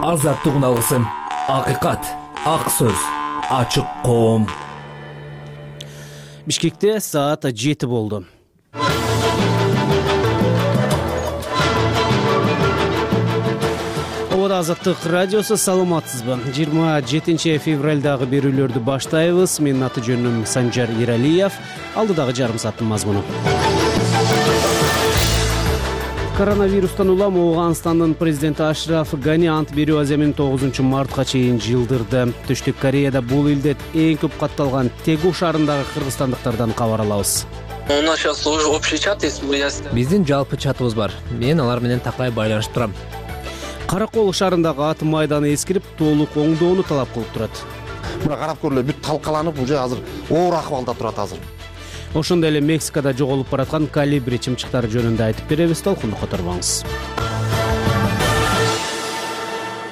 азаттык уналысын, акыйкат, ак сөз, ачык коом. Бишкекте саат 7 болду. Обода Азаттык радиосу, саламатсызбы? 27 февралдагы берүүлөрдү баштайбыз. Менин аты жөнүм Санжар Иралиев. Алдыдагы жарым сааттын мазмуну. Коронавирустан улам Ооганстандын президенти Ашраф Гани ант берүү аземин 9 мартка чейин жылдырды. Түштүк Кореяда бул илде эң көп катталган Тегу шаарындагы кыргызстандыктардан кабар алабыз. У нас сейчас уже общий чат есть. Биздин жалпы чатыбыз бар. Мен алар менен такай байланышып турам. Каракол шаарындагы ат майданы эскирип, толук оңдоону талап кылып турат. Мына карап көрүлө, бүт талкаланып, уже азыр оор акыбалда турат азыр. Ошондой эле Мексикада жоголуп бараткан Колибри чымчыктары жөнүндө айтып беребиз, толкунду которбоңуз.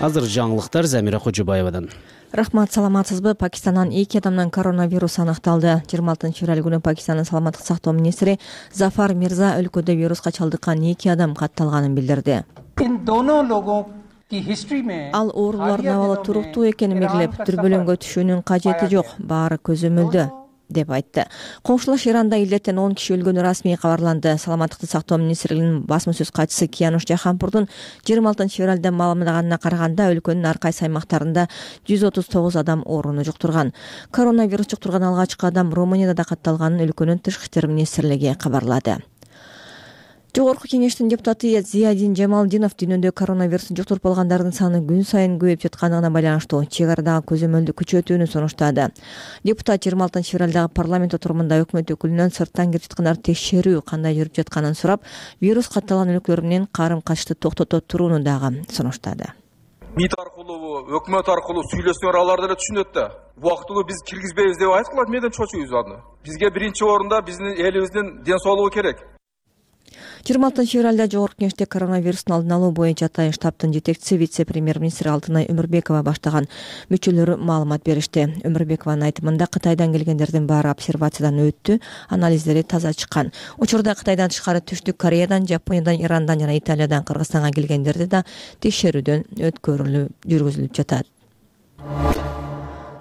Азыр жаңылыктар Замира Кожобаевадан. Рахмат, саламатсызбы? Пакистандан 2 адамдан коронавирус аныкталды. 26 февраль күнү Пакистандын саламаттык сактоо министри Зафар Мирза өлкөдө вируска чалдыккан 2 адам катталганын билдирди. Ал оорулардын абалы туруктуу экенин белгилеп, дүрбөлөңгө түшүүнүн кажети жок, баары көзөмөлдө деп айтты. Коңшулаш Иранда илдеттен 10 киши өлгөнү расмий кабарланды. Саламаттыкты сактоо министрлигинин басма сөз катчысы Киянуш Жаханпурдун 26 февралда маалымдаганына караганда, өлкөнүн ар кайсы аймактарында 139 адам ооруну жуктурган. Коронавирус жуктурган алгачкы адам Румынияда да катталганын өлкөнүн тышкы иштер министрлиги кабарлады. Жогорку кеңештин депутаты Зиядин Жамалдинов дүйнөдө коронавирусту жуктуруп алгандардын саны күн сайын көбөйүп жатканына байланыштуу чек арадагы көзөмөлдү күчөтүүнү сунуштады. Депутат 26 февралдагы парламент отурумунда өкмөт өкүлүнөн сырттан кирип жаткандарды текшерүү кандай жүрүп жатканын сурап, вирус катталган өлкөлөр менен карым-качышты токтото турууну дагы сунуштады. МИД аркылуу, өкмөт аркылуу сүйлөшсөңөр алар деле түшүнөт да. Убактылуу биз киргизбейбиз деп айткылат, менден чочуйбуз аны. Бизге биринчи орунда биздин элибиздин ден соолугу керек. 26 февралда жогорку кеңеште коронавирустун алдын алуу боюнча атайын штабтын жетекчиси вице-премьер-министр Алтынай Өмүрбекова баштаган мүчөлөрү маалымат беришти. Өмүрбекованын айтымында Кытайдан келгендердин баары обсервациядан өттү, анализдери таза чыккан. Учурда Кытайдан тышкары Түштүк Кореядан, Жапониядан, Ирандан жана Италиядан Кыргызстанга келгендерди да текшерүүдөн жүргүзүлүп жатат.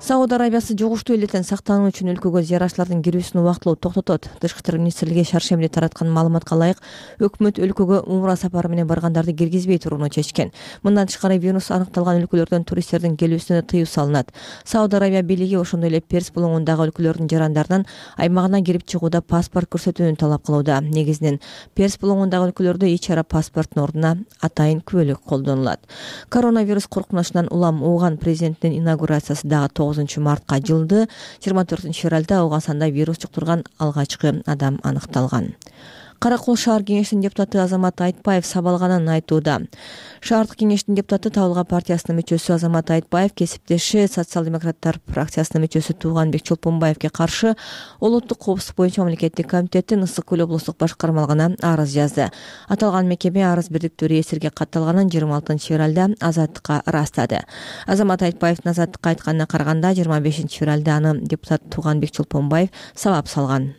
Сауд Арабиясы жугуштуу илдеттен сактануу үчүн өлкөгө зыярачылардын кирүүсүн убактылуу токтотот. Тышкы иштер министрлиги шаршембиде тараткан маалыматка ылайык, өкмөт өлкөгө умра сапары менен баргандарды киргизбей турууну чечкен. Мындан тышкары вирус аныкталган өлкөлөрдөн туристтердин келүүсүнө тыюу салынат. Сауд Арабия бийлиги ошондой эле Перс булуңундагы өлкөлөрдүн жарандарынан аймагына кирип чыгууда паспорт көрсөтүүнү талап кылууда. Негизинен Перс булуңундагы өлкөлөрдө ич-чара паспорттун ордуна атайын күбөлүк колдонулат. Коронавирус коркунучунан улам Ооган президентинин инаугурациясы дагы 9 мартка жылды. 24 февралда Ооганстанда вирус жуктурган алгачкы адам аныкталган. Каракол шаар кеңешинин депутаты Азамат Айтбаев сабалганын айтууда. Шаардык кеңештин депутаты Табылга партиясынын мүчөсү Азамат Айтбаев кесиптеши социал-демократтар фракциясынын мүчөсү Тууганбек Чолпонбаевге каршы Улуттук коопсуздук боюнча мамлекеттик комитеттин Ысык көл облустук башкармалыгына арыз жазды. Аталган мекеме арыз бирдиктүү реестрге катталганын 26 февралда Азаттыкка ырастады. Азамат Айтбаевдин Азаттыкка айтканына караганда 25 февралда аны депутат Тууганбек Чолпонбаев сабап салган.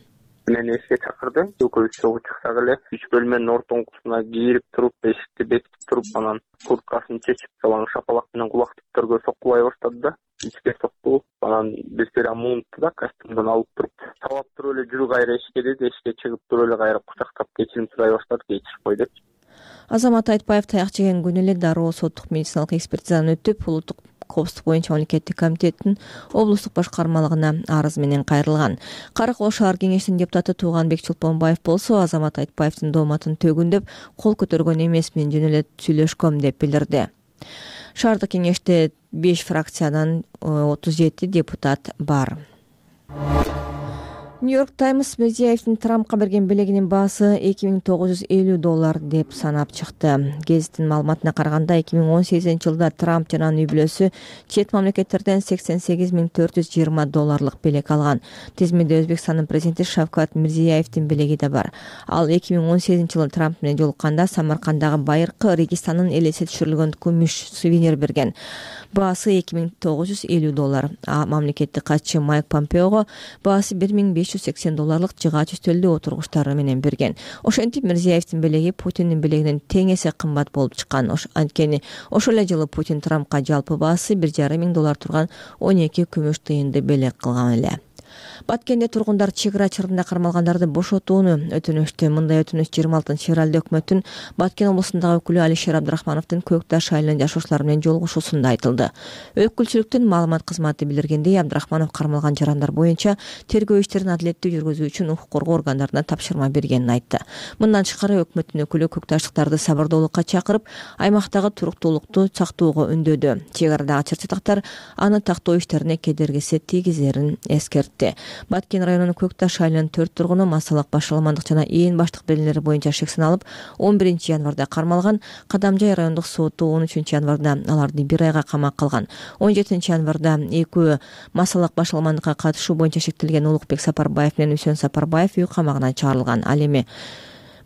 Мени эске чакырды. Экөөбүз чогуу чыксак эле 3 бөлмөнүн ортоңкусуна кирип туруп, эшикти бекитип туруп, анан курткасын чечип, салаң шапалак менен кулактыктарга соккулай баштады да. Ичке сокку, анан бизге муунту да костюмдан алып туруп, сабап туруп эле жүрү кайра эшикке деди, эшикке чыгып туруп эле кайра кучактап кечирим сурай баштады, кечирип кой деп. Азамат Айтбаев таяк жеген күнү эле дароо соттук медициналык экспертизадан өтүп, Улуттук коопсуздук боюнча мамлекеттик комитеттин облустук башкармалыгына арыз менен кайрылган. Каракол шаар кеңешинин депутаты Тууганбек Чолпонбаев болсо Азамат Айтбаевдин дооматын төгүндөп, кол көтөргөн эмесмин, жөн эле сүйлөшкөм деп билдирди. Шаардык кеңеште 5 фракциядан 37 депутат бар. Нью-Йорк Таймс Мирзиевдин Трампка берген белегинин баасы $2950 деп санап чыкты. Гезиттин маалыматына караганда 2018 жылда Трамп жана анын үй-бүлөсү чет мамлекеттерден $88,420 белек алган. Тизмеде Өзбекстандын президенти Шавкат Мирзиевдин белеги да бар. Ал 2018 жылы Трамп менен жолукканда Самаркандагы байыркы Регистанын элесе түшүрүлгөн күмүш сувенир берген. баасы $2950. А мамлекеттик катчы Майк Помпеого баасы $1580 жыгач үстөлдө отургучтары менен берген. Ошентип Мирзиевдин белеги Путиндин белегинен тең эсе кымбат болуп чыккан. Анткени ошол эле жылы Путин Трампка жалпы баасы $1,500 турган 12 күмүш тыйынды белек кылган эле. Баткенде тургундар чек ара чарында кармалгандарды бошотууну өтүнүштү. Мындай өтүнүш 26-февралда өкмөттүн Баткен облусундагы өкүлү Алишер Абдрахмановдун Көк Таш айылынын жашоочулары менен жолугушуусунда айтылды. Өкүлчүлүктүн маалымат кызматы билдиргендей, Абдрахманов кармалган жарандар боюнча тергөө иштерин адилеттүү жүргүзүү үчүн укук коргоо органдарына тапшырма бергенин айтты. Мындан тышкары өкмөттүн өкүлү Көк Таштыктарды сабырдуулукка чакырып, аймактагы туруктуулукту сактоого үндөдү. Чек арадагы чыр-чатактар аны тактоо иштерине кедергиси тийгизерин эскертти. Баткен районунун Көк Таш айылынын 4 тургуну массалык башаламандык жана ээн баштык белгилери боюнча шек сыналып, 11 январда кармалган. Кадамжай райондук соту 13 январда аларды 1 айга камакка алган. 17 январда экөө массалык башаламандыкка катышуу боюнча шектелген Улукбек Сапарбаев менен Үсөн Сапарбаев үй камагынан чыгарылган. Ал эми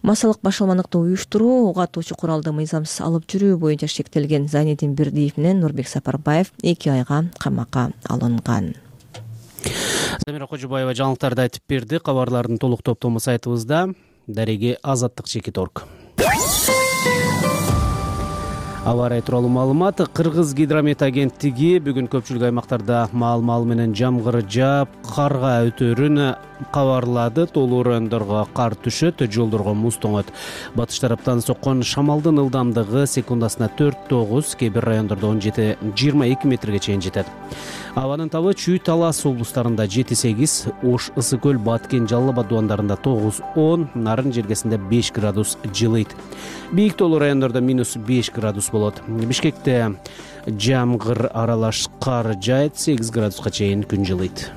массалык башаламандыкты уюштуруу, угу атуучу куралды мыйзамсыз алып жүрүү боюнча шектелген Зайнидин Бирдиев менен Нурбек Сапарбаев 2 айга камакка алынган. Замира Кожубаева жаңылыктарды айтып берди. Кабарлардын толук топтому сайтыбызда. Дареги Азаттык.org. Аба ырайы тууралуу маалымат. Кыргыз гидромет агенттиги бүгүн көпчүлүк аймактарда маал менен жамгыр жаап, карга өтөрүн кабарлады. Толуу райондорго кар түшөт, жолдорго муз тоңот. Батыш тараптан соккон шамалдын ылдамдыгы секундасына 4-9, кээ бир райондордо 17-22 метрге чейин жетет. Абанын табы Чүй, Талас облустарында 7-8, Ош, Ысык көл, Баткен, Жалал Абад дубандарында 9-10, Нарын жергесинде 5 градус жылыйт. Бийик толуу райондордо -5 градус болот. Бишкекте жамгыр аралаш кар жаайт, 8 градуска чейин күн жылыйт.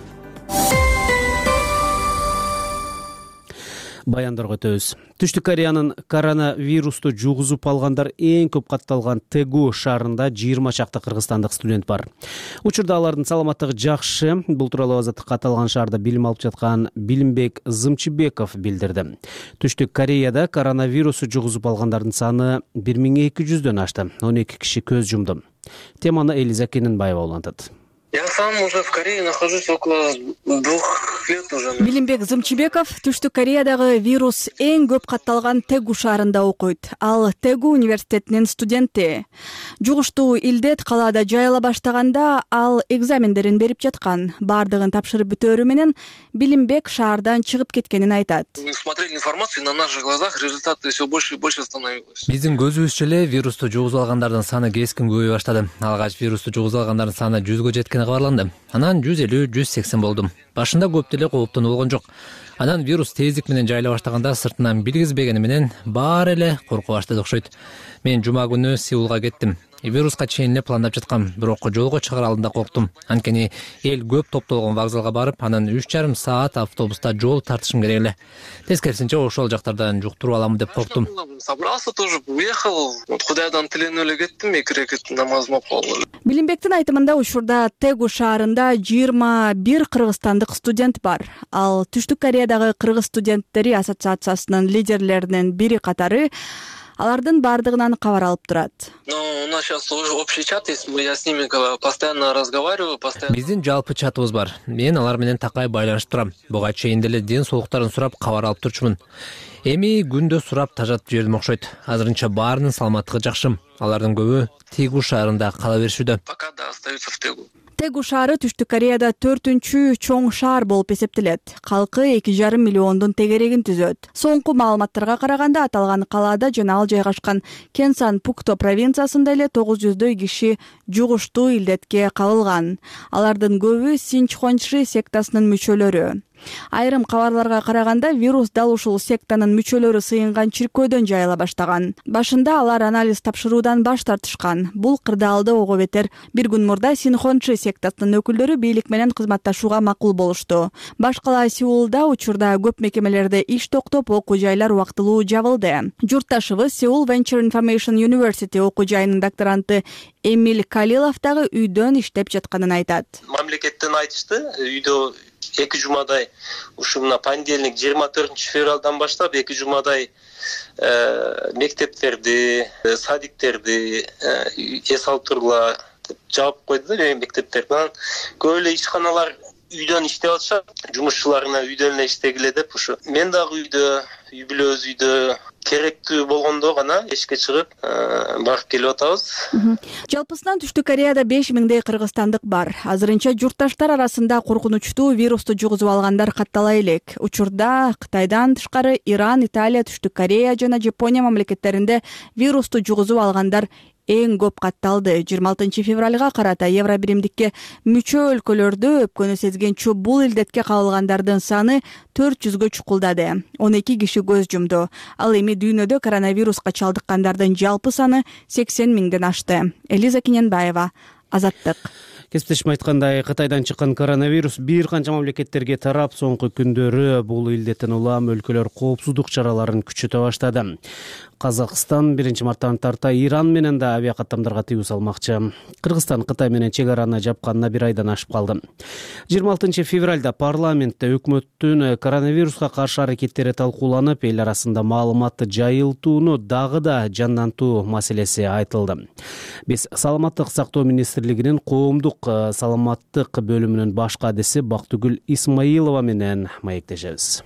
Баяндырга өтөбүз. Түштүк Кореянын коронавирусту жугузуп алгандар эң көп катталган Тэгу шаарында 20 чакты кыргызстандык студент бар. Учурда алардын саламаттыгы жакшы. Бул тууралуу Азаттыкка аталган шаарда билим алып жаткан Билимбек Зымчыбеков билдирди. Түштүк Кореяда коронавирусту жугузуп алгандардын саны 1200дөн ашты. 12 киши көз жумду. Теманы Элиза Кененбаева улантат. Я сам уже в Корее нахожусь около 2 лет уже. Билимбек Зымчыбеков Түштүк Кореядагы вирус эң көп катталган Тэгу шаарында окуйт. Ал Тэгу университетинин студенти. Жугуштуу илдет калаада жайыла баштаганда ал экзамендерин берип жаткан. Бардыгын тапшырып бүтөөрү менен Билимбек шаардан чыгып кеткенин айтат. Мы смотрели информацию, на наших глазах результаты все больше и больше становилось. Биздин көзүбүзчө эле вирусту жугузуп алгандардын саны кескин көбөйө баштады. Алгач вирусту жугузуп алгандардын саны 100гө жеткен кабарланды. Анан 150-180 болдум. Башында көп деле кооптонуу болгон жок. Анан вирус тездик менен жайыла баштаганда сыртынан билгизбегени менен баары эле коркуп баштады окшойт. Мен жума күнү Сеулга кеттим. Вируска чейин эле пландап жаткам, бирок жолго чыгар алдында корктум. Анткени эл көп топтолгон вокзалга барып, анан 3,5 саат автобуста жол тартышым керек эле. Тескерисинче ошол жактардан жуктуруп аламын деп корктум. Собрался тоже, уехал. Вот Кудайдан тиленип эле кеттим, 2 рекет намазым окуп алдым. Билимбектин айтымында учурда Тэгу шаарында 21 кыргызстандык студент бар. Ал Түштүк Кореядагы кыргыз студенттери ассоциациясынын лидерлеринин бири катары. Алардын бардыгынан кабар алып турат. Ну, у нас сейчас уже общий чат есть, я с ними постоянно разговариваю, постоянно. Биздин жалпы чатыбыз бар. Мен алар менен такай байланышып турам. Буга чейин деле ден соолуктарын сурап кабар алып турчумун. Эми күндө сурап тажатып жибердим окшойт. Азырынча баарынын саламаттыгы жакшы. Алардын көбү Тэгу шаарында кала беришүүдө. Пока да остаются в Тэгу. Тэгу шаары Түштүк Кореяда 4-чү чоң шаар болуп эсептелет. Калкы 2,5 миллиондун тегерегин түзөт. Соңку маалыматтарга караганда аталган калаада жана ал жайгашкан Кенсан Пукто провинциясында эле 900дөй киши жугуштуу илдетке кабылган. Алардын көбү Синчхончи сектасынын мүчөлөрү. Айрым кабарларга караганда вирус дал ушул сектанын мүчөлөрү сыйынган чиркөөдөн жайыла баштаган. Башында алар анализ тапшыруудан баш тартышкан. Бул кырдаалды ого бетер. Бир күн мурда Синхончи сектасынын өкүлдөрү бийлик менен кызматташууга макул болушту. Баш кала Сеулда учурда көп мекемелерде иш токтоп, окуу жайлар убактылуу жабылды. Журтташыбыз Seoul Venture Information University окуу жайынын докторанты Эмиль Калилов дагы үйдөн иштеп жатканын айтат. Мамлекеттен айтышты, үйдө 2 жумадай ушу мына понедельник 24 февралдан баштап 2 жумадай мектептерди, садиктерди эс алып тургула, деп жаап койду да мектептер. Анан көп эле ишканалар үйдөн иштеп атышат, жумушчуларына үйдөн эле иштегиле деп ушу мен дагы үй бүлөбүз үйдө керектүү болгондо гана эшикке чыгып барып келип атабыз. Жалпысынан Түштүк Кореяда 5000дей кыргызстандык бар. Азырынча журтташтар арасында коркунучтуу вирусту жугузуп алгандар каттала элек. Учурда Кытайдан тышкары Иран, Италия, Түштүк Корея жана Жапония мамлекеттеринде вирусту жугузуп алгандар эң көп катталды. 26 февралга карата Евробиримдикке мүчө өлкөлөрдө өпкөнү сезгенчө бул илдетке кабылгандардын саны 400гө чукулдады. 12 киши көз жумду. Ал эми дүйнөдө коронавируска чалдыккандардын жалпы саны 80 миңден ашты. Элиза Киненбаева, Азаттык. Кесиптешим айткандай, Кытайдан чыккан коронавирус бир канча мамлекеттерге тарап, соңку күндөрү бул илдеттен улам өлкөлөр коопсуздук чараларын күчөтө баштады. Казакстан 1 марттан тарта Иран менен да авиа каттамдарга тыюу салмакчы. Кыргызстан Кытай менен чек араны жапканына 1 айдан ашып калды. 26 февралда парламентте өкмөттүн коронавируска каршы аракеттери талкууланып, эл арасында маалыматты жайылтууну дагы да жандантуу маселеси айтылды. Биз Саламаттык сактоо министрлигинин коомдук саламаттык бөлүмүнүн баш кадиси Бактыгүл Исмаилова менен маектешебиз.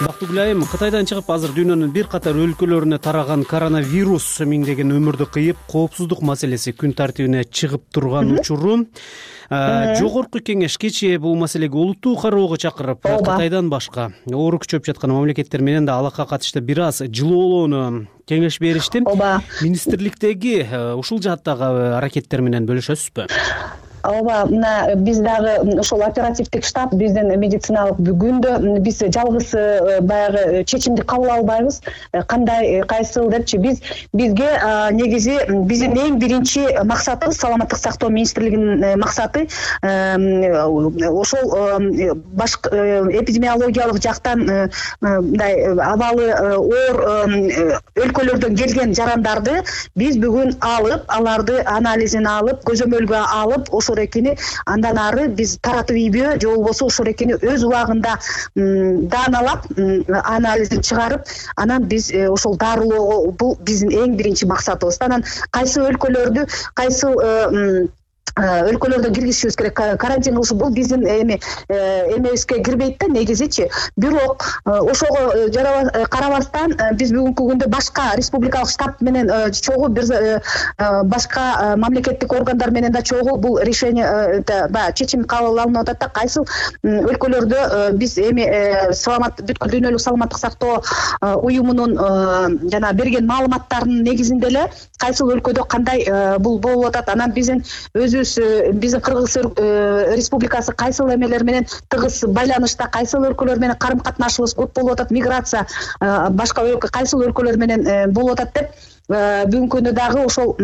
Бактыгүл айым, Кытайдан чыгып азыр дүйнөнүн бир катар өлкөлөрүнө тараган коронавирус миңдеген өмүрдү кыйып, коопсуздук маселеси күн тартибине чыгып турган учуру. Жогорку кеңеш кечээ бул маселеге олуттуу кароого чакырып, Кытайдан башка оору күчөп жаткан мамлекеттер менен да алакка катышты бир аз жылоолоону кеңеш беришти. Министрликтеги ушул жааттагы аракеттер менен бөлүшөсүзбү? Ооба, мына биз дагы ошол оперативдик штаб биздин медициналык бүгүндө биз жалгыз баягы чечимди кабыл албайбыз. Кандай, кайсыл депчи бизге негизи биздин эң биринчи максатыбыз Саламаттык сактоо министрлигинин максаты ошол башкы эпидемиологиялык жактан мындай абалы оор өлкөлөрдөн келген жарандарды биз бүгүн алып, аларды анализин алып, көзөмөлгө алып, ошол экени андан ары биз таратып ийбөө же болбосо ошол экени өз убагында дааналап анализин чыгарып, анан биз ошол дарылоого бул биздин эң биринчи максатыбыз. Анан кайсы өлкөлөрдү өлкөлөрдөн киргизишибиз керек, карантин кылышы бул биздин эмебизге кирбейт да негизичи. Бирок ошого карабастан биз бүгүнкү күндө башка республикалык штаб менен чогуу башка мамлекеттик органдар менен да чогуу бул решение чечим кабыл алынып атат да. Кайсыл өлкөлөрдө биз эми бүткүл дүйнөлүк саламаттык сактоо уюмунун жана берген маалыматтарынын негизинде эле кайсыл өлкөдө кандай бул болуп атат. Анан биздин Кыргыз Республикасы кайсыл эмелер менен тыгыз байланышта, кайсыл өлкөлөр менен карым катнашыбыз көп болуп атат, миграция башка кайсыл өлкөлөр менен болуп атат деп бүгүнкү күндө дагы ошол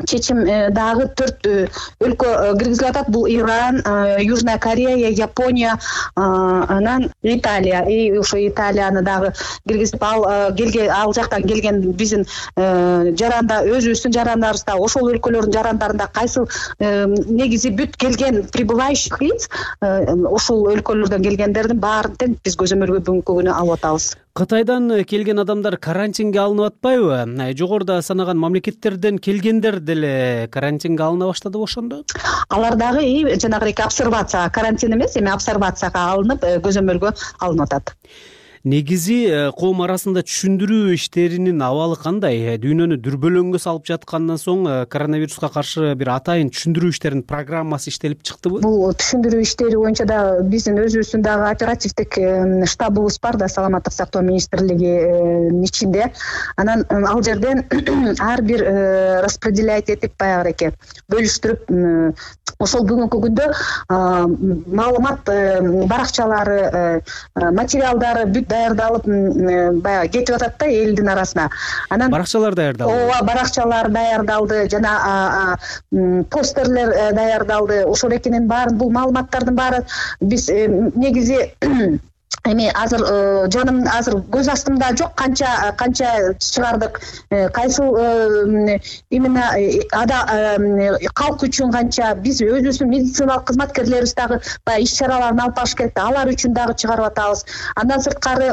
чечим дагы 4 өлкө киргизилип атат. Бул Иран, Южная Корея, Япония, анан Италия. Ошо Италияны дагы киргизип ал жактан келген биздин жаранда өзүбүздүн жарандарыбызда ошол өлкөлөрдүн жарандарында кайсыл негизи бүт келген прибывающих лиц ошол өлкөлөрдөн келгендердин баарын тең биз көзөмөлгө бүгүнкү күнү алып атабыз. Кытайдан келген адамдар карантинге алынып атпайбы? Жогоруда санаган мамлекеттерден келгендер деле карантинге алына баштады ошондо? Алар дагы жанагы обсервация, карантин эмес, эми обсервацияга алынып көзөмөлгө алынып атат. Негизи коом арасында түшүндүрүү иштеринин абалы кандай? Дүйнөнү дүрбөлөңгө салып жаткандан соң коронавируска каршы бир атайын түшүндүрүү иштеринин программасы иштелип чыктыбы? Бул түшүндүрүү иштери боюнча да биздин өзүбүздүн дагы оперативдик штабыбыз бар да Саламаттык сактоо министрлигинин ичинде. Анан ал жерден ар бир распределять этип баягы бөлүштүрүп ошол бүгүнкү күндө маалымат баракчалары, материалдары бүт даярдалып баягы кетип атат да элдин арасына. Анан баракчалар даярдалды. Ооба, баракчалар даярдалды, жана постерлер даярдалды. Ошол экенин баарын, бул маалыматтардын баары биз негизи эми азыр жаным азыр көз астымда жок, канча чыгардык, кайсыл именно калк үчүн канча, биз өзүбүздүн медициналык кызматкерлерибиз дагы баягы иш чараларын алып барыш керек да, алар үчүн дагы чыгарып атабыз. Андан сырткары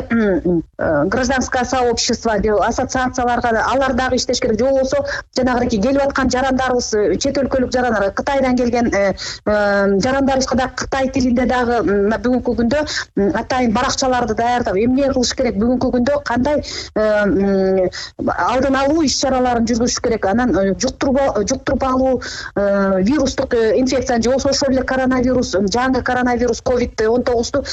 гражданское сообщество деп ассоциацияларга алар дагы иштеш керек. Же болбосо жанагыдей келип аткан жарандарыбыз, чет өлкөлүк жарандар, Кытайдан келген жарандарыбызга да Кытай тилинде дагы бүгүнкү күндө атайын баракчаларды даярдап эмне кылыш керек, бүгүнкү күндө кандай алдын алуу иш чараларын жүргүзүш керек, анан жуктуруп алуу вирустук инфекцияны же болбосо ошол эле коронавирус, жаңы коронавирус COVID-19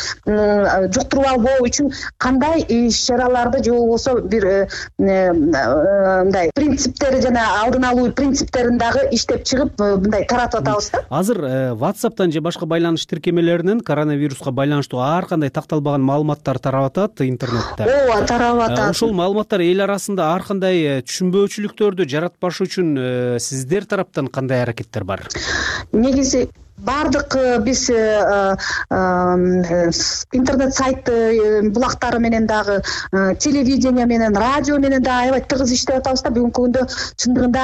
жуктуруп албоо үчүн кандай иш чараларды же болбосо бир мындай принциптери жана алдын алуу принциптерин дагы иштеп чыгып мындай таратып атабыз да. Азыр WhatsApp'тан же башка байланыш тиркемелеринен коронавируска байланыштуу ар кандай такталбаган маалыматтар тарап атат интернетте. Ооба, тарап атат. Ошол маалыматтар эл арасында ар кандай түшүнбөөчүлүктөрдү жаратпаш үчүн сиздер тараптан кандай аракеттер бар? Негизи бардык биз интернет сайт булактары менен дагы, телевидение менен, радио менен дагы аябай тыгыз иштеп атабыз да. Бүгүнкү күндө чындыгында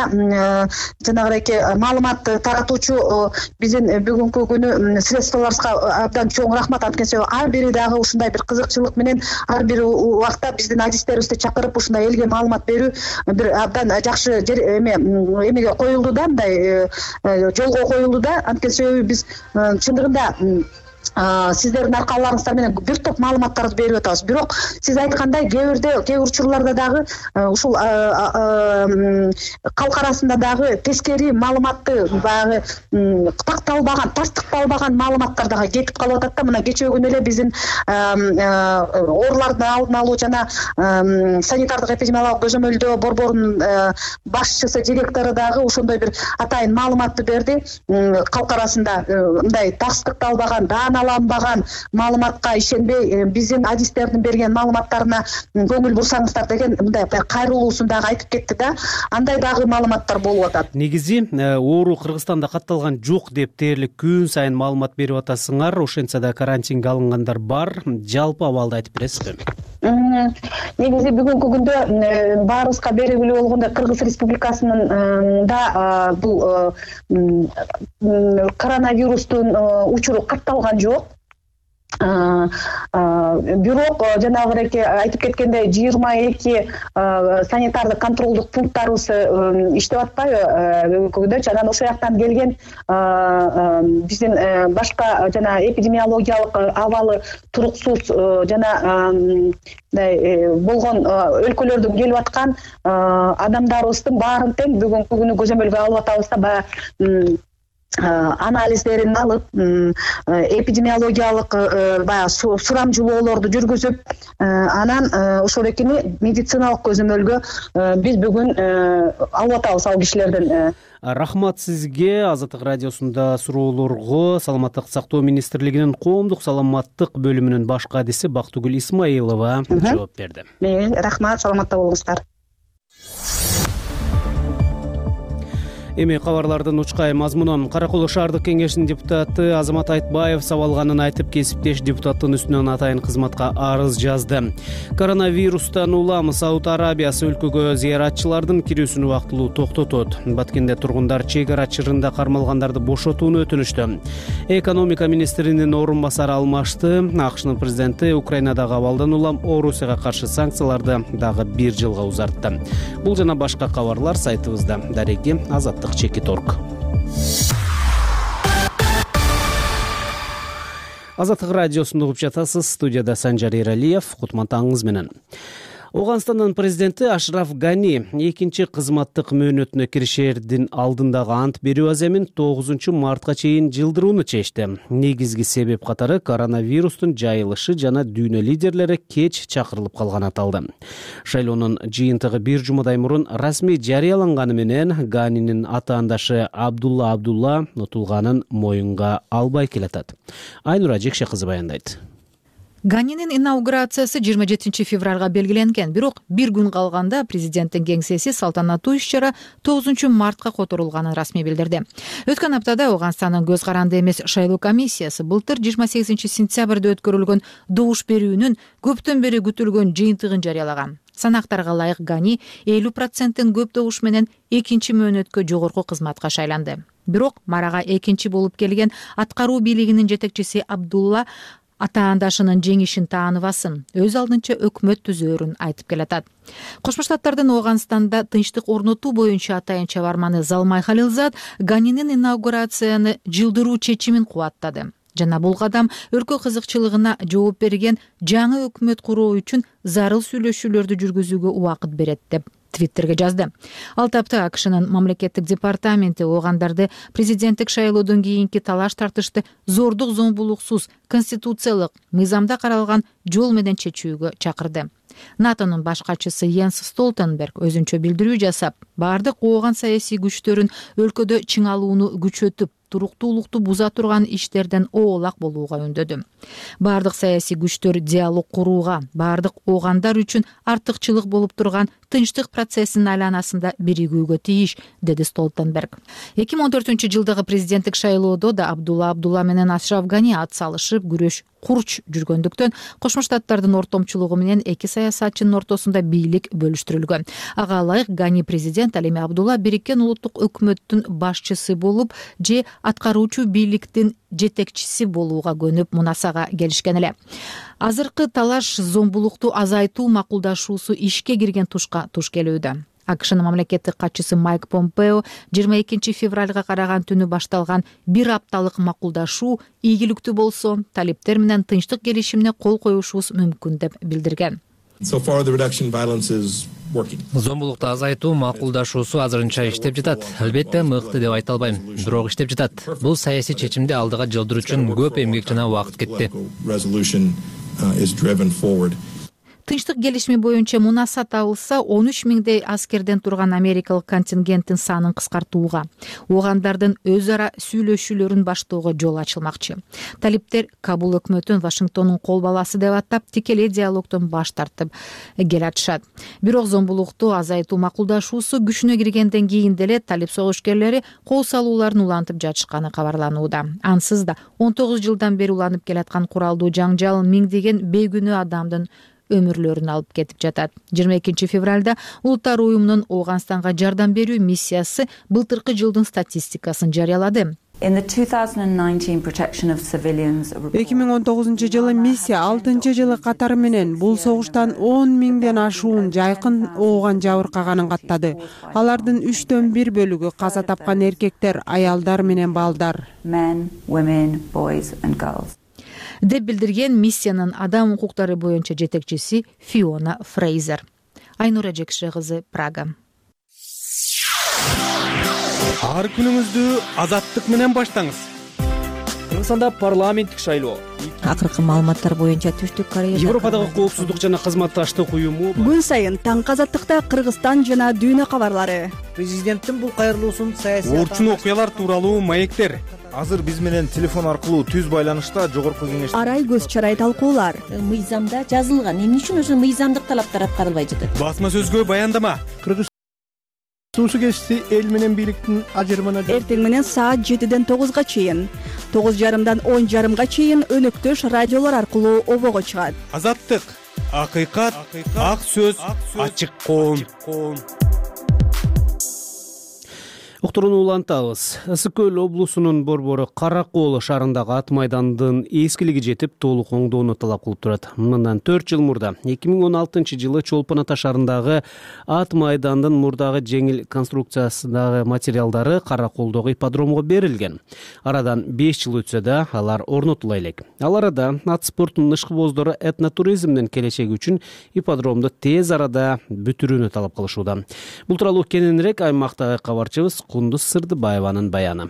жанагыдей маалымат таратуучу биздин бүгүнкү күнү средстволорубузга абдан чоң рахмат. Анткени ар бири дагы ушундай бир кызыкчылык менен ар бир убакта биздин адистерибизди чакырып ушундай элге маалымат берүү бир абдан жакшы эмеге коюлду да, мындай жолго коюлду да. Анткени себеби биз чындыгында сиздердин аркаларыңыздар менен бир топ маалыматтарды берип атабыз. Бирок сиз айткандай кээ учурларда дагы ушул калк арасында дагы тескери маалыматты баягы такталбаган, тастыкталбаган маалыматтар дагы кетип калып атат да. Мына кечээ күнү эле биздин оорулардын алдын алуу жана санитардык эпидемиологиялык көзөмөлдөө борборунун башчысы, директору дагы ошондой бир атайын маалыматты берди. Калк арасында мындай тастыкталбаган, дааналанбаган маалыматка ишенбей, биздин адистердин берген маалыматтарына көңүл бурсаңыздар деген мындай кайрылуусун дагы айтып кетти да. Андай дагы маалыматтар болуп атат. Негизи оору Кыргызстанда катталган жок деп дээрлик күн сайын маалымат берип атасыңар. Ошентсе да карантинге алынгандар бар. Жалпы абалды айтып бересизби? Негизи бүгүнкү күндө баарыбызга белгилүү болгондой Кыргыз Республикасынын да бул коронавирустун учуру катталган жок. Бирок жанагы айтып кеткендей 22 санитардык контролдук пункттарыбыз иштеп атпайбы бүгүнкү күндө. Анан ошол жактан келген биздин башка жана эпидемиологиялык абалы туруксуз жана болгон өлкөлөрдөн келип аткан адамдарыбыздын баарын тең бүгүнкү күнү көзөмөлгө алып атабыз да. Баягы анализдерин алып, эпидемиологиялык баягы сурамжылоолорду жүргүзүп, анан ошол экени медициналык көзөмөлгө биз бүгүн алып атабыз ал кишилерден. Рахмат сизге. Азаттык радиосунда суроолорго Саламаттык сактоо министрлигинин коомдук саламаттык бөлүмүнүн баш кадиси Бактыгүл Исмаилова жооп берди. Рахмат, саламатта болуңуздар. Эми кабарлардын учкай мазмунун. Кара Кол шаардык кеңешинин депутаты Азамат Айтбаев сабалганын айтып, кесиптеш депутаттын үстүнөн атайын кызматка арыз жазды. Коронавирустан улам Сауд Арабиясы өлкөгө зыяратчылардын кирүүсүн убактылуу токтотот. Баткенде тургундар чек ара чырында кармалгандарды бошотууну өтүнүштү. Экономика министринин орун басары алмашты. АКШнын президенти Украинадагы абалдан улам Орусияга каршы санкцияларды дагы 1 жылга узартты. Бул жана башка кабарлар сайтыбызда. Дареги Азаттык.org. Азаттык радиосунда угуп жатасыз. Студияда Санжар Эралиев. Кутмантаңыз менен. Оганстандын президенти Ашраф Гани экинчи кызматтык мөөнөтүнө киришердин алдындагы ант берүү аземин 9 мартка чейин жылдырууну чечти. Негизги себеп катары коронавирустун жайылышы жана дүйнө лидерлери кеч чакырылып калганы аталды. Шайлоонун жыйынтыгы 1 жумадай мурун расмий жарыяланганы менен Ганинин атаандашы Абдулла утулганын моюнга албай келатат. Айнура Жекше кызы баяндайт. Ганинин инаугурациясы 27 февралга белгиленген, бирок бир күн калганда президенттин кеңсеси салтанаттуу иш-чара 9 мартка которулганын расмий билдирди. Өткөн аптада Ооганстандын көз каранды эмес шайлоо комиссиясы былтыр 28 сентябрда өткөрүлгөн добуш берүүнүн көптөн бери күтүлгөн жыйынтыгын жарыялаган. Санактарга ылайык Гани 50% көп добуш менен экинчи мөөнөткө жогорку кызматка шайланды. Бирок Марага экинчи болуп келген аткаруу бийлигинин жетекчиси Абдулла атаандашынын жеңишин тааныбасын, өз алдынча өкмөт түзөөрүн айтып келатат. Кошмо Штаттардын Ооганстанда тынчтык орнотуу боюнча атайын чабарманы Залмай Халилзад Ганинин инаугурацияны жылдыруу чечимин кубаттады. Жана бул кадам өлкө кызыкчылыгына жооп берген жаңы өкмөт куруу үчүн зарыл сүйлөшүүлөрдү жүргүзүүгө убакыт берет деп Твиттерге жазды. Ал тапта АКШнын мамлекеттик департаменти оогандарды президенттик шайлоодон кийинки талаш тартышты зордук зомбулуксуз конституциялык мыйзамда каралган жол менен чечүүгө чакырды. НАТОнун баш катчысы Йенс Столтенберг өзүнчө билдирүү жасап, бардык ооган саясий күчтөрүн өлкөдө чыңалууну күчөтүп, туруктуулукту буза турган иштерден оолак болууга үндөдү. Бардык саясий күчтөр диалог курууга, бардык оогандар үчүн артыкчылык болуп турган тынчтык процессинин айланасында биригүүгө тийиш, деди Столтенберг. 2014-жылдагы президенттик шайлоодо да Абдулла менен Ашраф Гани ат салышып күрөш курч жүргөндүктөн Кошмо Штаттардын ортомчулугу менен эки саясатчынын ортосунда бийлик бөлүштүрүлгөн. Ага ылайык Гани президент, ал эми Абдулла Бириккен улуттук өкмөттүн башчысы болуп же аткаруучу бийликтин жетекчиси болууга көнүп мунасага келишкен эле. Азыркы талаш зомбулукту азайтуу макулдашуусу ишке кирген тушка туш келүүдө. АКШнын мамлекеттик катчысы Майк Помпео 22 февралга караган түнү башталган бир апталык макулдашуу ийгиликтүү болсо, талиптер менен тынчтык келишимине кол коюшубуз мүмкүн деп билдирген. Зомбулукту азайтуу макулдашуусу азырынча иштеп жатат. Албетте мыкты деп айта албайм, бирок иштеп жатат. Бул саясий чечимди алдыга жылдыруу үчүн көп эмгек жана убакыт кетти. Тынчтык келишими боюнча мунаса табылса, 13 миңдей аскерден турган америкалык контингенттин санын кыскартууга, оогандардын өз ара сүйлөшүүлөрүн баштоого жол ачылмакчы. Талиптер Кабул өкмөтүн Вашингтондун кол баласы деп атап, тикелей диалогдон баш тартып келатышат. Бирок зомбулукту азайтуу макулдашуусу күчүнө киргенден кийин деле талип согушкерлери кол салууларын улантып жатышканы кабарланууда. Ансыз да 19 жылдан бери уланып келаткан куралдуу жаңжал миңдеген бейгүнөө адамдын өмүрлөрүн алып кетип жатат. 22 февралда Улуттар уюмунун Ооганстанга жардам берүү миссиясы былтыркы жылдын статистикасын жарыялады. 2019 жылы миссия 6 жылы катары менен бул согуштан 10 миңден ашуун жайкын ооган жабыркаганын каттады. Алардын 3/1 бөлүгү каза тапкан эркектер, аялдар менен балдар. Деп билдирген миссиянын адам укуктары боюнча жетекчиси Фиона Фрейзер. Айнура Жекше кызы, Прага. Ар күнүңүздү азаттык менен баштаңыз. Кыргызстанда парламенттик шайлоо. Акыркы маалыматтар боюнча Түштүк Корея Европадагы коопсуздук жана кызматташтык уюму күн сайын таңкы азаттыкта Кыргызстан жана дүйнө кабарлары. Президенттин бул кайрылуусун саясий орчун окуялар тууралуу маектер. Азыр биз менен телефон аркылуу түз байланышта жогорку кеңеш Арай көз чарай талкуулар. Мыйзамда жазылган. Эмне үчүн ошо мыйзамдык талаптар аткарылбай жатат? Басма сөзгө баяндама. Суу кесиси эл менен бийликтин ажырымына Эртең менен саат 7ден 9га чейин, 9:30дан 10:30га чейин өнөктөш радиолор аркылуу обого чыгат. Азаттык, акыйкат, ак сөз, ачык коом. Уктурууну улантабыз. Ысык көл облусунун борбору Кара Коол шаарындагы ат майдандын эскилиги жетип, толук оңдоону талап кылып турат. Мындан 4 жыл мурда 2016-жылы Чолпон Ата шаарындагы ат майдандын мурдагы жеңил конструкциясындагы материалдары Кара Коолдогу ипподромго берилген. Арадан 5 жыл өтсө да алар орнотула элек. Ал арада ат спортунун ышкыбоздору этнотуризмдин келечеги үчүн ипподромду тез арада бүтүрүүнү талап кылышууда. Бул тууралуу кененирээк аймактагы кабарчыбыз Кундуз Сырдыбаеванын баяны.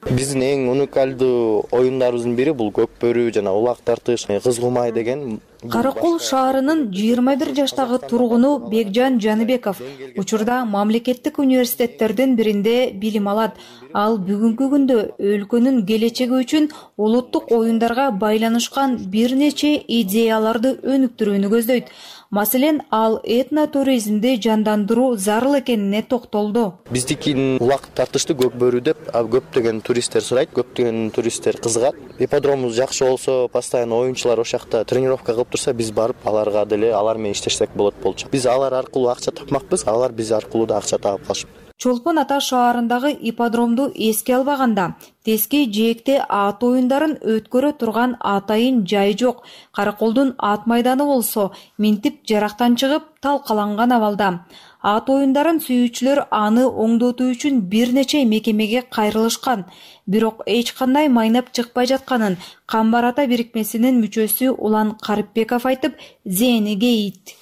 Биздин эң уникалдуу оюндарыбыздын бири бул көк бөрү жана улак тартыш, кыз кумай деген Каракол шаарынын 21 жаштагы тургуну Бекжан Жаныбеков учурда мамлекеттик университеттердин биринде билим алат. Ал бүгүнкү күндө өлкөнүн келечеги үчүн улуттук оюндарга байланышкан бир нече идеяларды өнүктүрүүнү көздөйт. Маселен, ал этнотуризмди жандандыруу зарыл экенине токтолду. Биздикин убакыт тартыштуу көк бөрү деп көптөгөн туристтер сурайт, көптөгөн туристтер кызыгат. Ипподромубуз жакшы болсо, постоянно оюнчулар ошол жакта тренировка кылып турса, биз барып аларга деле алар менен иштешсек болот болчу. Биз алар аркылуу акча тапмакпыз, алар биз аркылуу да акча таап калышып. Чолпон Ата шаарындагы ипподромду эске албаганда Тески жээкте ат оюндарын өткөрө турган атайын жай жок. Караколдун ат майданы болсо минтип жарактан чыгып талкаланган абалда. Ат оюндарын сүйүүчүлөр аны оңдотуу үчүн бир нече мекемеге кайрылышкан. Бирок эч кандай майнап чыкпай жатканын Камбар Ата бирикмесинин мүчөсү Улан Карипбеков айтып, зээни кейит.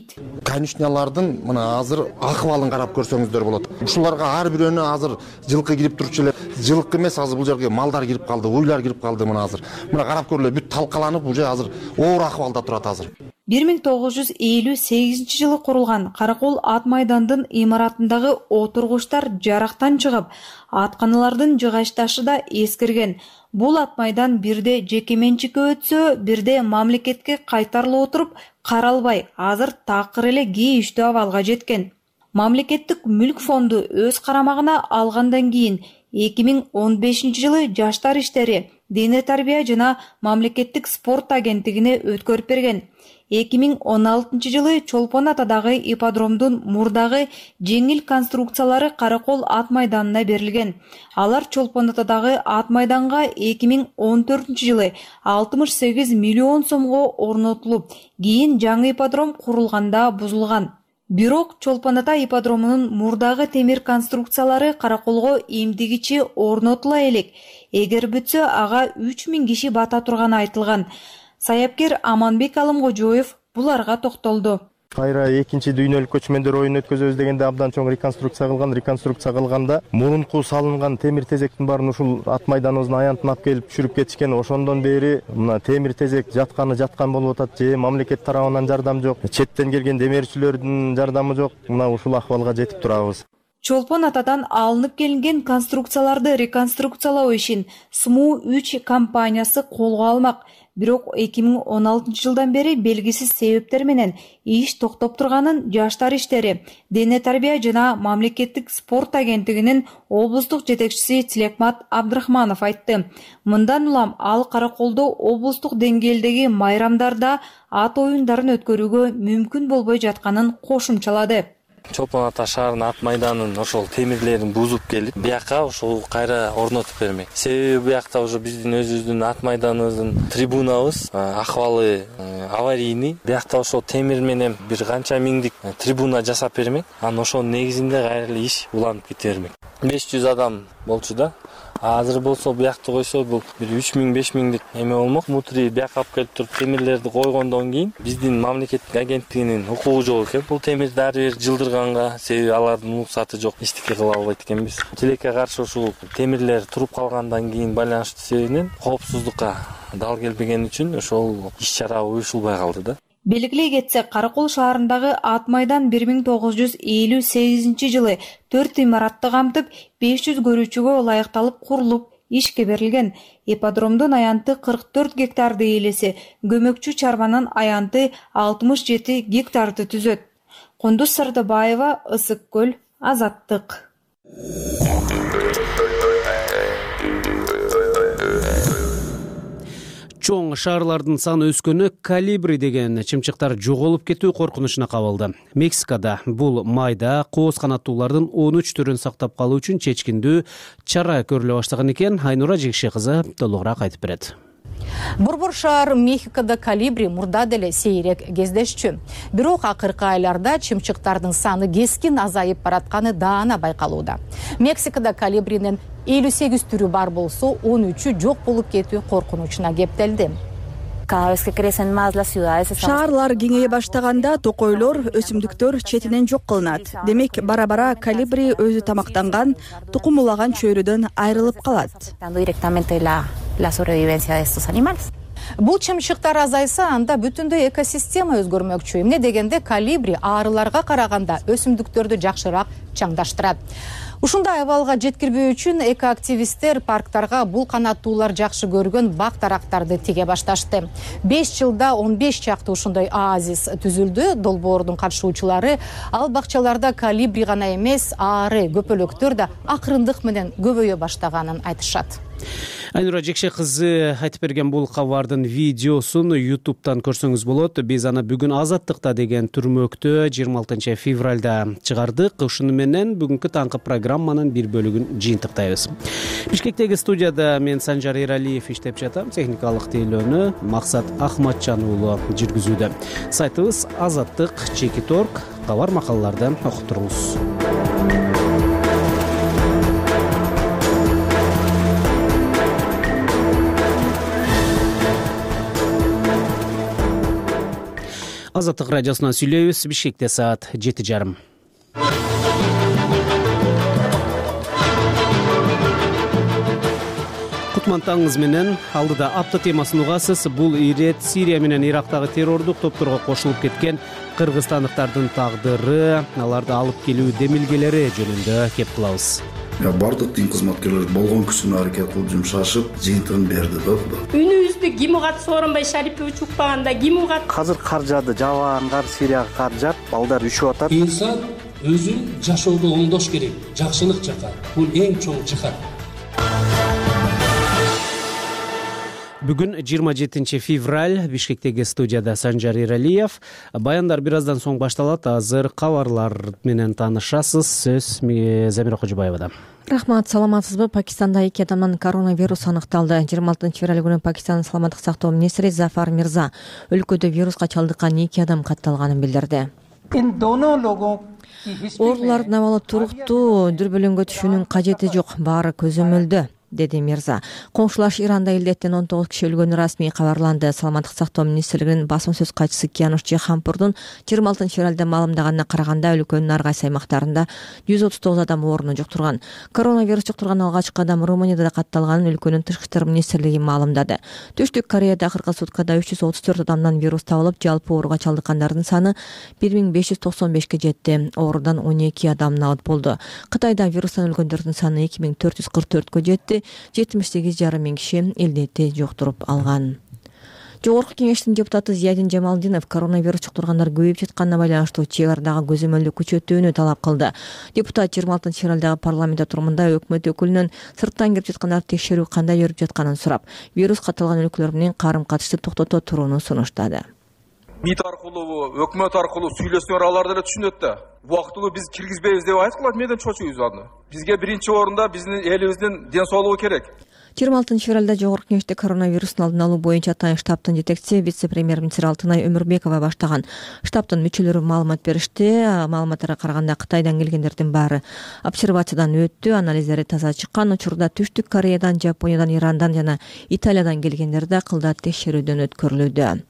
Конюшнялардын мына азыр акыбалын карап көрсөңүздөр болот. Ушуларга ар бирөөнө азыр жылкы кирип турчу эле. Жылкы эмес, азыр бул жерге малдар кирип калды, уйлар кирип калды мына азыр. Мына карап көрүлө, бүт талкаланып, уже азыр оор акыбалда турат азыр. 1958 жылы курулган Каракол ат майдандын имаратындагы отургучтар жарактан чыгып, атканалардын жыгачташы да эскирген. Бул ат майдан бирде жеке менчикке өтсө, бирде мамлекетке кайтарылып отуруп, каралбай, азыр такыр эле кейиштүү абалга жеткен. Мамлекеттик мүлк фонду өз карамагына алгандан кийин 2015 жылы Жаштар иштери, дене тарбия жана мамлекеттик спорт агенттигине өткөрүп берген. 2016 жылы Чолпон Атадагы ипподромдун мурдагы жеңил конструкциялары Каракол ат майданына берилген. Алар Чолпон Атадагы ат майданга 2014 жылы 68 миллион сомго орнотулуп, кийин жаңы ипподром курулганда бузулган. Бирок Чолпон Ата ипподромунун мурдагы темир конструкциялары Караколго эмдигичи орнотула элек. Эгер бүтсө, ага 3000 киши бата турганы айтылган. Саяпкер Аманбек Алымкожоев буларга токтолду. Кайра экинчи дүйнөлүк көчмөндөр оюн өткөзөбүз дегенде абдан чоң реконструкция кылган. Реконструкция кылганда мурунку салынган темир тезектин баарын ушул ат майданыбыздын аянтына алып келип түшүрүп кетишкен. Ошондон бери мына темир тезек жаткан болуп атат. Же мамлекет тарабынан жардам жок, четтен келген демирчилердин жардамы жок. Мына ушул акыбалга жетип турабыз. Чолпон Атадан алынып келинген конструкцияларды реконструкциялоо ишин СМУ-3 компаниясы колго алмак. Бирок 2016 жылдан бери белгисиз себептер менен иш токтоп турганын Жаштар иштери, дене тарбия жана мамлекеттик спорт агенттигинин облустук жетекчиси Тилекмат Абдрахманов айтты. Мындан улам ал Караколдо облустук деңгээлдеги майрамдарда ат оюндарын өткөрүүгө мүмкүн болбой жатканын кошумчалады. Чолпон Ата шаарынын ат майданын ошол темирлерин бузуп келип, бияка ошол кайра орнотуп бермек. Себеби биякта уже биздин өзүбүздүн ат майданыбыздын трибунабыз акыбалы аварийный. Биякта ошол темир менен бир канча миңдик трибуна жасап бермек. Анан ошонун негизинде кайра эле иш уланып кете бермек. 500 адам болчу да. Азыр болсо биякты койсо бул бир 3000-5000дик эме болмок. Мутри бияка алып келип туруп темирлерди койгондон кийин биздин мамлекеттик агенттигинин укугу жок экен. Бул темирди ар бир жылдырганга, себеби алардын уруксаты жок, эчтеке кыла албайт экенбиз. Тилекке каршы ушул темирлер туруп калгандан кийин байланыштуу себебинен коопсуздукка дал келбеген үчүн ошол иш-чара уюшулбай калды да. Белгилей кетсек, Каракол шаарындагы ат майдан 1958 жылы 4 имаратты камтып, 500 көрүүчүгө ылайыкталып курулуп, ишке берилген. Ипподромдун аянты 44 гектарды ээлесе, көмөкчү чарбанын аянты 67 гектарды түзөт. Кундуз Сардыбаева, Ысык көл, Азаттык. Чоң шаарлардын саны өскөнү Колибри деген чымчыктар жоголуп кетүү коркунучуна кабылды. Мексикада бул майда кооз канаттуулардын 13 түрүн сактап калуу үчүн чечкиндүү чара көрүлө баштаган экен. Айнура Жекше кызы толугураак айтып берет. Борбор шаар Мехикода Колибри мурда деле сейрек кездешчү. Бирок акыркы айларда чымчыктардын саны кескин азайып баратканы даана байкалууда. Мексикада Колибринин 58 түрү бар болсо, 13-ү жок болуп кетүү коркунучуна кептелди. Шаарлар кеңейе баштаганда токойлор, өсүмдүктөр четинен жок кылынат. Демек, бара-бара Колибри өзү тамактанган, тукум улаган чөйрөдөн айрылып калат. Бул чымчыктар азайса, анда бүтүндөй экосистема өзгөрмөкчү. Эмне дегенде колибри арыларга караганда өсүмдүктөрдү жакшыраак чаңдаштырат. Ушундай абалга жеткирбөө үчүн экоактивисттер парктарга бул канаттуулар жакшы көргөн бак дарактарды тиге башташты. 5 жылда 15 чакты ушундай оазис түзүлдү. Долбоордун катышуучулары ал бакчаларда колибри гана эмес, ары көпөлөктөр да акырындык менен көбөйө баштаганын айтышат. Айнура Жекше кызы айтып берген бул кабардын видеосун YouTube'дан көрсөңүз болот. Биз аны бүгүн Азаттыкта деген түрмөктө 26 февралда чыгардык. Ушуну менен бүгүнкү таңкы программанын бир бөлүгүн жыйынтыктайбыз. Бишкектеги студияда мен Санжар Эралиев иштеп жатам. Техникалык тейлөөнү Максат Ахматжан уулу жүргүзүүдө. Сайтыбыз azattik.org. Кабар макалаларды окуп туруңуз. Азаттык радиосунан сүйлөйбүз. Бишкекте саат 7:30. Кутман менен алдыда апта темасын угасыз. Бул ирет Сирия менен Ирактагы террордук топторго кошулуп кеткен кыргызстандыктардын тагдыры, аларды алып келүү демилгелери жөнүндө кеп кылабыз. Бардык дин кызматкерлери болгон күчүн аракет кылып жумшашып, жыйынтыгын берди да Кудай. Үнүбүздү ким угат, Сооронбай Шарипович укпаганда ким угат? Азыр кар жаады, жабаан кар, Сирияга кар жаап, балдар үшүп атат. Инсан өзүн жашоодо оңдош керек, жакшылык жака. Бул эң чоң жихад. Бүгүн 27 февраль. Бишкектеги студияда Санжар Эралиев. Баяндар бир аздан соң башталат. Азыр кабарлар менен таанышасыз. Сөз Замира Кожобаевада. Рахмат, саламатсызбы? Пакистанда 2 адамдан коронавирус аныкталды. 26 февраль күнү Пакистандын саламаттык сактоо министри Зафар Мирза өлкөдө вируска чалдыккан 2 адам катталганын билдирди. Оорулардын абалы туруктуу, дүрбөлөңгө түшүүнүн кажети жок, баары көзөмөлдө, деди Мирза. Коңшулаш Иранда илдеттен 19 киши өлгөнү расмий кабарланды. Саламаттык сактоо министрлигинин басма сөз катчысы Киянуш Жихампурдун 26 февралда маалымдаганына караганда өлкөнүн ар кайсы аймактарында 139 адам оорууну жуктурган. Коронавирус жуктурган алгачкы адам Румынияда да катталганын өлкөнүн тышкы иштер министрлиги маалымдады. Түштүк Кореяда акыркы суткада 334 адамдан вирус табылып, жалпы ооруга чалдыккандардын саны 1595ке жетти. Оорудан 12 адам набыт болду. Кытайда вирустан өлгөндөрдүн саны 2444кө жетти. 78,5 миң киши илдетти жуктуруп алган. Жогорку кеңештин депутаты Зиядин Жамалдинов коронавирус жуктургандар көбөйүп жатканына байланыштуу чек ардагы көзөмөлдү күчөтүүнү талап кылды. Депутат 26 февралдагы парламент отурумунда өкмөт өкүлүнөн сырттан кирип жаткандарды текшерүү кандай жүрүп жатканын сурап, вирус катталган өлкөлөр менен карым-катышты токтото турууну сунуштады. МИД аркылуу, өкмөт аркылуу сүйлөсөңөр, алар деле түшүнөт да. Убактылуу биз киргизбейбиз деп айткылат, менден чочуйбуз аны. Бизге биринчи орунда биздин элибиздин ден соолугу керек. 26 февралда жогорку кеңеште коронавирустун алдын алуу боюнча атайын штабтын жетекчиси вице-премьер-министр Алтынай Өмүрбекова баштаган штабтын мүчөлөрү маалымат беришти. Маалыматтарга караганда Кытайдан келгендердин баары обсервациядан өттү. Анализдери таза чыккан. Учурда Түштүк Кореядан, Жапониядан, Ирандан жана Италиядан келгендер да кылдат текшерүүдөн өткөрүлүүдө.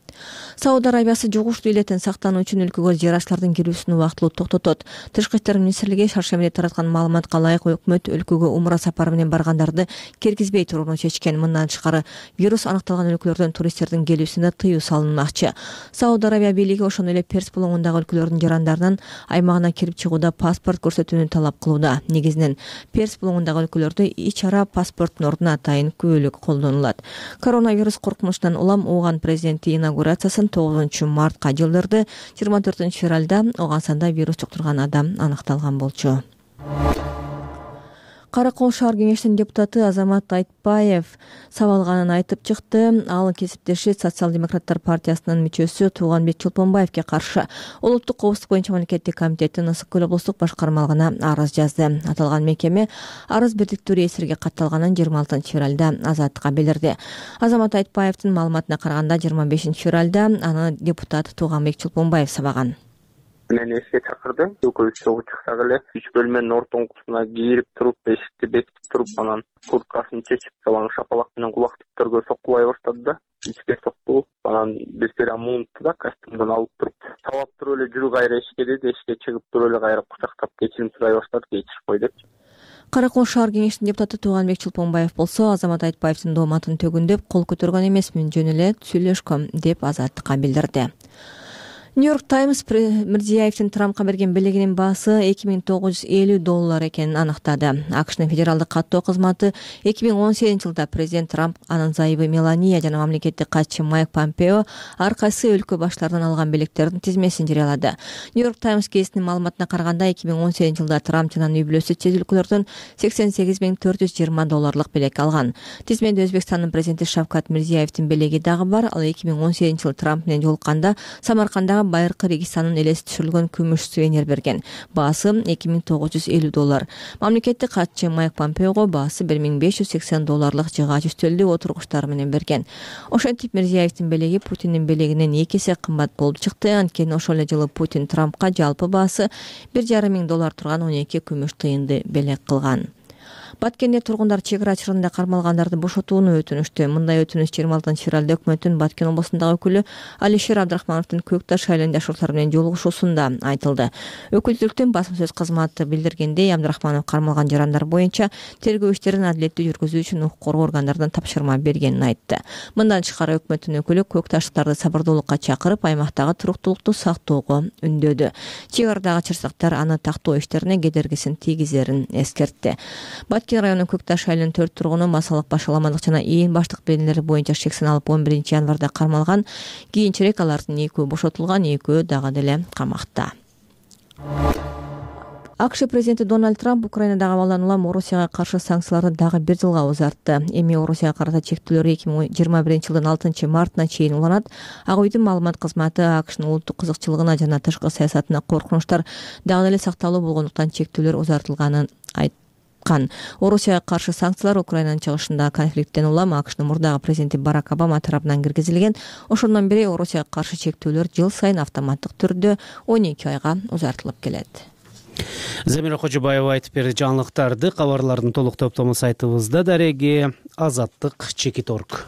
Сауд Арабиясы жугуштуу илеттен сактануу үчүн өлкөгө жарачлардын кирүүсүн убактылуу токтотот. Тышкы иштер министрлиги шаршембиде тараткан маалыматка ылайык өкмөт өлкөгө умра сапары менен баргандарды киргизбей турууну чечкен. Мындан тышкары вирус аныкталган өлкөлөрдөн туристтердин келүүсүнө тыюу салынмакчы. Сауд Арабия бийлиги ошондой эле Перс булуңундагы өлкөлөрдүн жарандарынан аймагына кирип чыгууда паспорт көрсөтүүнү талап кылууда. Негизинен Перс булуңундагы өлкөлөрдө ич ара паспорттун ордуна атайын күбөлүк колдонулат. Коронавирус коркунучунан улам Ооган президенти инаугурациясын 9 мартка жылдырды. 24 февралда Оогансанда вирус жуктурган адам аныкталган болчу. Каракол шаар кеңешинин депутаты Азамат Айтбаев сабалганын айтып чыкты. Ал кесиптеши Социал-демократтар партиясынын мүчөсү Тууганбек Чолпонбаевге каршы улуттук коопсуздук боюнча мамлекеттик комитеттин Ысык көл облустук башкармалыгына арыз жазды. Аталган мекеме арыз бирдиктүү реестрге катталганын 26 февралда Азаттыкка билдирди. Азамат Айтбаевдин маалыматына караганда 25 февралда аны депутат Тууганбек Чолпонбаев сабаган. Мени эске чакырды. Экөөбүз чогуу чыксак эле 3 бөлмөнүн ортоңкусуна кирип туруп, эшикти бекитип туруп, анан курткасын чечип, салаң шапалак менен кулактыктарга соккулай баштады да. Ичке сокту. Анан бизге муунту да костюмдан алып туруп, сабап туруп эле жүрү кайра эшикке деди. Эшикке чыгып туруп эле кайра кучактап кечирим сурай баштады. Кечирип кой депчи. Каракол шаар кеңешинин депутаты Тууганбек Чулпонбаев болсо Азамат Айтбаевдин дооматын төгүндөп кол көтөргөн эмесмин, жөн эле сүйлөшкөм деп Азаттыкка билдирди. Нью-Йорк Таймс Мирзиеевдин Трампка берген белегинин баасы $2950 экенин аныктады. АКШнын федералдык каттоо кызматы 2018-жылда президент Трамп, анын зайыбы Мелания жана мамлекеттик катчы Майк Помпео ар кайсы өлкө баштарынан алган белектердин тизмесин жарыялады. Нью-Йорк Таймс гезитинин маалыматына караганда 2018-жылда Трамп жана үй бүлөсү чет өлкөлөрдөн $88,420 белек алган. Тизмеде Өзбекстандын президенти Шавкат Мирзиеевдин белеги дагы бар. Ал 2018-жылы Трамп менен жолукканда Самаркандагы Байыркы Регистанын элеси түшүрүлгөн күмүш сувенир берген. Баасы $2950. Мамлекеттик катчы Майк Помпеого баасы $1580 жыгач үстөлдү отургучтар менен берген. Ошентип Мирзиеевдин белеги Путиндин белегинен 2 эсе кымбат болуп чыкты. Анткени ошол эле жылы Путин Трампка жалпы баасы $1,500 турган 12 күмүш тыйынды белек кылган. Баткенде тургундар чек ара чырында кармалгандарды бошотууну өтүнүштү. Мындай өтүнүш 26-февралда өкмөттүн Баткен облусундагы өкүлү Алишер Абдрахмановдун Көк Таш айылында жашоочулар менен жолугушуусунда айтылды. Өкүлдүктүн басма сөз кызматы билдиргендей, Абдрахманов кармалган жарандар боюнча тергөө иштерин адилеттүү жүргүзүү үчүн укук коргоо органдарынан тапшырма бергенин айтты. Мындан тышкары өкмөттүн өкүлү Көк Таштыктарды сабырдуулукка чакырып, аймактагы туруктуулукту сактоого үндөдү. Чек арадагы чырсактар аны тактоо иштерине кедергисин тийгизерин эскертти. Баткен районунун Көк Таш айылынын 4 тургуну массалык башаламалык жана ийин баштык белгилери боюнча шексин алып 11 январда кармалган. Кийинчерээк алардын 2-өө бошотулган, 2-өө дагы деле камакта. АКШ президенти Дональд Трамп Украинадагы абалдан улам Орусияга каршы санкцияларды дагы 1 жылга узартты. Эми Орусияга карата чектөөлөр 2021-жылдын 6 мартына чейин уланат. Ак үйдүн маалымат кызматы АКШнын улуттук кызыкчылыгына жана тышкы саясатына коркунучтар дагы эле сакталуу болгондуктан чектөөлөр узартылганын айтты. Орусияга каршы санкциялар Украинанын чыгышындагы конфликттен улам АКШнын мурдагы президенти Барак Обама тарабынан киргизилген. Ошондон бери Орусияга каршы чектөөлөр жыл сайын автоматтык түрдө 12 айга узартылып келет. Замира Кожобаева айтып берди жаңылыктарды. Кабарлардын толук топтому сайтыбызда дареги azаттык.org.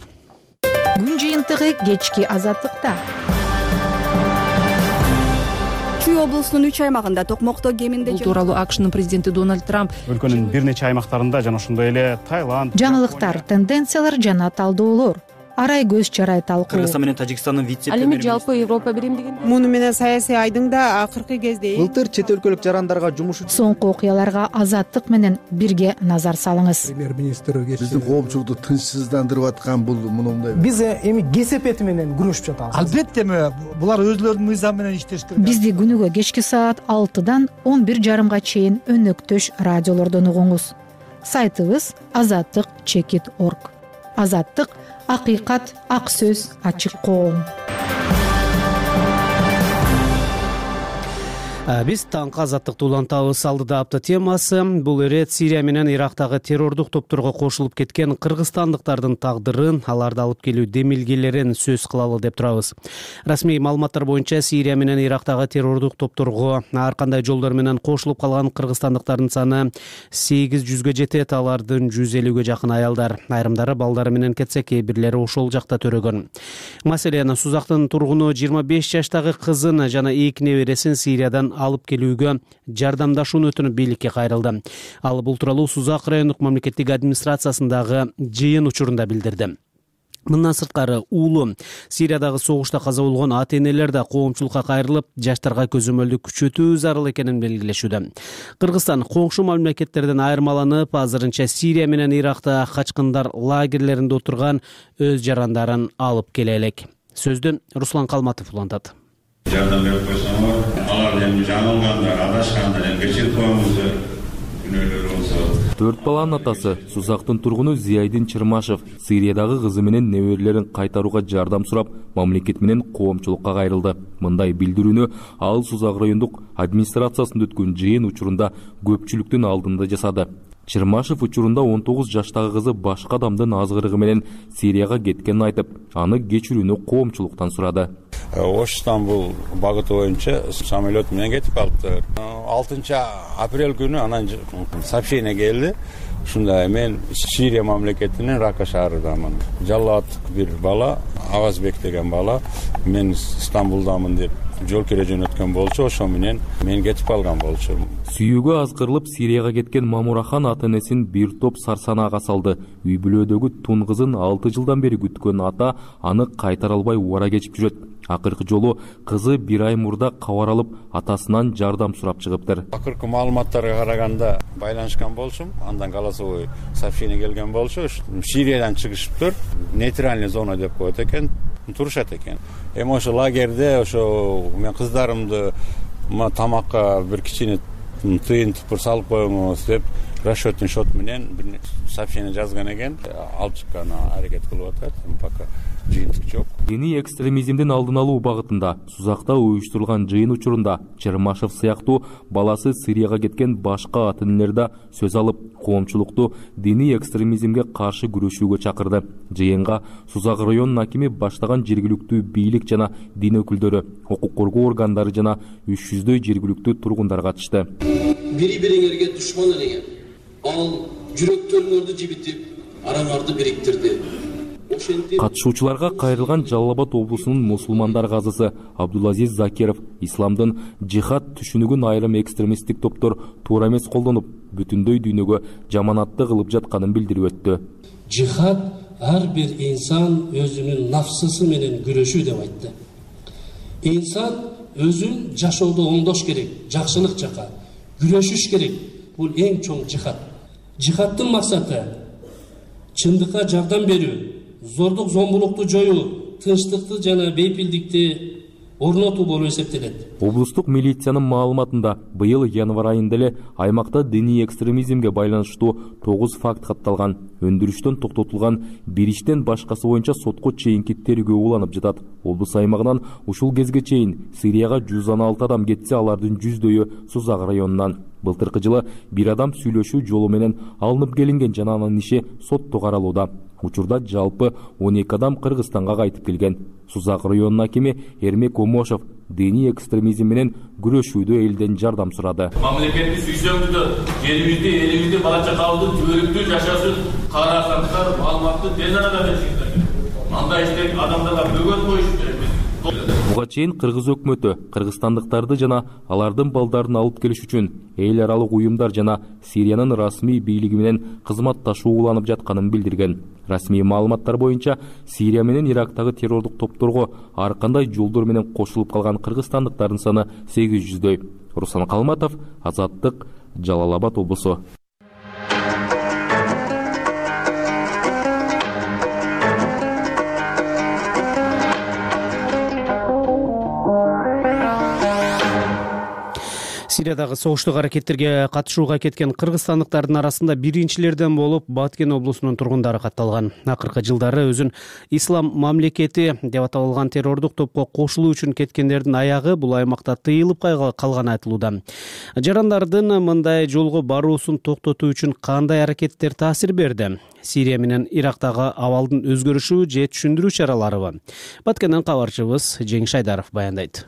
Күн жыйынтыгы кечки Азаттыкта. Чүй облусунун 3 аймагында токмокто кеминде бул тууралуу АКШнын президенти Дональд Трамп өлкөнүн бир нече аймактарында жана ошондой эле Таиланд, жаңылыктар, тенденциялар жана талдоолор, арай көз чарай талкуу. Кыргызстан менен Тажикстандын вице-премьери. Ал эми жалпы Европа биримдигинде муну менен саясий айдың да акыркы кезде былтыр чет өлкөлүк жарандарга жумуш соңку окуяларга Азаттык менен бирге назар салыңыз. Премьер-министр биздин коомчулукту тынчсыздандырып аткан бул мындай. Биз эми кесепети менен күрөшүп жатабыз. Албетте булар өзлөрүнүн мыйзамы менен иштеш керек. Бизди күнүгө кечки саат 6-дан 11:30 чейин өнөктөш радиолордон угуңуз. Сайтыбыз azаттык.org. Азаттык — акыйкат, ак сөз, ачык коом. Биз таңкы азаттыкты улантабыз. Алдыда апта темасы бул ирет Сирия менен Ирактагы террордук топторго кошулуп кеткен кыргызстандыктардын тагдырын, аларды алып келүү демилгелерин сөз кылалы деп турабыз. Расмий маалыматтар боюнча Сирия менен Ирактагы террордук топторго ар кандай жолдор менен кошулуп калган кыргызстандыктардын саны 800-гө жетет. Алардын 150-гө жакын аялдар, айрымдары балдары менен кетсе, кээ бирлери ошол жакта төрөгөн. Маселен, Сузактын тургуну 25 жаштагы кызын жана 2 небересин Сириядан алып келүүгө жардамдашууну өтүнүп бийликке кайрылды. Ал бул тууралуу Сузак райондук мамлекеттик администрациясындагы жыйын учурунда билдирди. Мындан сырткары уулу Сириядагы согушта каза болгон ата-энелер да коомчулукка кайрылып, жаштарга көзөмөлдү күчөтүү зарыл экенин белгилешүүдө. Кыргызстан коңшу мамлекеттерден айырмаланып, азырынча Сирия менен Иракта качкындар лагерлеринде отурган өз жарандарын алып келе элек. Сөздү Руслан Калматов улантат. Жардам берип койсоңор, алар эми жаңылгандар, адашкандар эми кечирип коюңуздар. Күнөөлөр болсо. 4 баланын атасы, Сузактын тургуну Зияйдин Чырмашев Сириядагы кызы менен неберелерин кайтарууга жардам сурап, мамлекет менен коомчулукка кайрылды. Мындай билдирүүнү ал Сузак райондук администрациясында өткөн жыйын учурунда көпчүлүктүн алдында жасады. Чырмашев учурунда 19 жаштагы кызы башка адамдын азгырыгы менен Сирияга кеткенин айтып, аны кечирүүнү коомчулуктан сурады. Ош-Стамбул багыты боюнча самолет менен кетип калыптыр. 6 апрель күнү анан сообщение келди. Ушундай мен Сирия мамлекетинин Рака шаарындамын. Жаллаттык бир бала, Авазбек деген бала, мен Стамбулдамын деп жол кере жөнөткөн болчу, ошо менен мен кетип калган болчу. Сүйүүгө азгырылып Сирияга кеткен Мамурахан ата-энесин бир топ сарсанаага салды. Үй бүлөдөгү тун кызын 6 жылдан бери күткөн ата аны кайтара албай убара кечип жүрөт. Акыркы жолу кызы 1 ай мурда кабар алып, атасынан жардам сурап чыгыптыр. Акыркы маалыматтарга караганда байланышкан болчумун. Андан голосовой сообщение келген болчу. Сириядан чыгышыптыр. Нейтральный зона деп коет экен, турушат экен. Эми ошо лагерде ошо мен кыздарымды тамакка бир кичине тыйын тупур салып коюңуз деп расчетный счет менен бир сообщение жазган экен. Алып чыккан аракет кылып атат. Пока жыйынтык жок. Диний экстремизмдин алдын алуу багытында Сузакта уюштурулган жыйын учурунда Чермашев сыяктуу баласы Сирияга кеткен башка ата-энелер да сөз алып, коомчулукту диний экстремизмге каршы күрөшүүгө чакырды. Жыйынга Сузак районунун акими баштаган жергиликтүү бийлик жана дин өкүлдөрү, укук коргоо органдары жана 300дөй жергиликтүү тургундар катышты. Бири-бириңерге душман элеген, ал жүрөктөрүңөрдү жибитип, араңарды бириктирди. Катышуучуларга кайрылган Жалал Абад облусунун мусулмандар казысы Абдулазиз Закиров исламдын жихад түшүнүгүн айрым экстремисттик топтор туура эмес колдонуп, бүтүндөй дүйнөгө жаманатты кылып жатканын билдирип өттү. Жихад ар бир инсан өзүнүн нафсысы менен күрөшүү деп айтты. Инсан өзүн жашоодо оңдош керек, жакшылык жака күрөшүш керек. Бул эң чоң жихад. Жихаддын максаты чындыкка жардам берүү, зордук зомбулукту жоюу, тынчтыкты жана бейпилдикти орнотуу болуп эсептелет. Облустук милициянын маалыматында быйыл январь айында эле аймакта диний экстремизмге байланыштуу 9 факт катталган. Өндүрүштөн токтотулган бир иштен башкасы боюнча сотко чейинки тергөө уланып жатат. Облус аймагынан ушул кезге чейин Сирияга 116 адам кетсе, алардын 100дөйү Сузак районунан. Былтыркы жылы бир адам сүйлөшүү жолу менен алынып келинген жана анын иши сотто каралууда. Учурда жалпы 12 адам Кыргызстанга кайтып келген. Сузак районунун акими Эрмек Омошов диний экстремизм менен күрөшүүдө элден жардам сурады. Мамлекетти сүйсөңүздөр, жерибизди, элибизди, бала чакабыздын түбөлүктүү жашасын карасаңыздар, маалыматты тез арада беришиңиздер. Мындай иштек адамдарга бөгөт коюш керек. Буга чейин Кыргыз өкмөтү кыргызстандыктарды жана алардын балдарын алып келиш үчүн эл аралык уюмдар жана Сириянын расмий бийлиги менен кызматташуу уланып жатканын билдирген. Расмий маалыматтар боюнча Сирия менен Ирактагы террордук топторго ар кандай жолдор менен кошулуп калган кыргызстандыктардын саны 800дөй. Руслан Калматов, Азаттык, Жалал Абад облусу. Сириядагы согуштук аракеттерге катышууга кеткен кыргызстандыктардын арасында биринчилерден болуп Баткен облусунун тургундары катталган. Акыркы жылдары өзүн ислам мамлекети деп аталган террордук топко кошулуу үчүн кеткендердин аягы бул аймакта тыйылып калганы айтылууда. Жарандардын мындай жолго баруусун токтотуу үчүн кандай аракеттер таасир берди? Сирия менен Ирактагы абалдын өзгөрүшү же түшүндүрүү чараларыбы? Баткенден кабарчыбыз Жеңиш Айдаров баяндайт.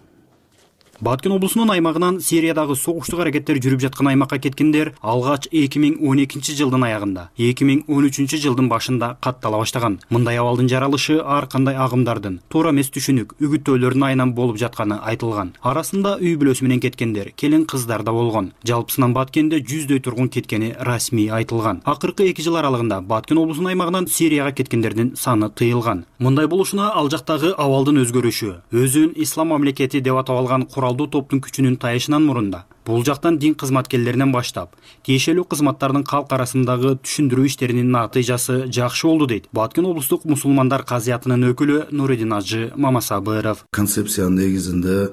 Баткен облусунун аймагынан Сириядагы согуштук аракеттер жүрүп жаткан аймакка кеткендер алгач 2012 жылдын аягында, 2013 жылдын башында каттала баштаган. Мындай абалдын жаралышы ар кандай агымдардын, туура эмес түшүнүк, үгүттөөлөрдүн айынан болуп жатканы айтылган. Арасында үй бүлөсү менен кеткендер, келин кыздар да болгон. Жалпысынан Баткенде 100дөй тургун кеткени расмий айтылган. Акыркы 2 жыл аралыгында Баткен облусунун аймагынан Сирияга кеткендердин саны тыйылган. Мындай болушуна ал жактагы абалдын өзгөрүшү, өзүн ислам мамлекети деп аталган куралдуу топтун күчүнүн тайышынан мурунда бул жактан дин кызматкерлеринен баштап тиешелүү кызматтардын калк арасындагы түшүндүрүү иштеринин натыйжасы жакшы болду дейт Баткен облустук мусулмандар казиятынын өкүлү Нуридин Ажы Мамасабыров. Концепциянын негизинде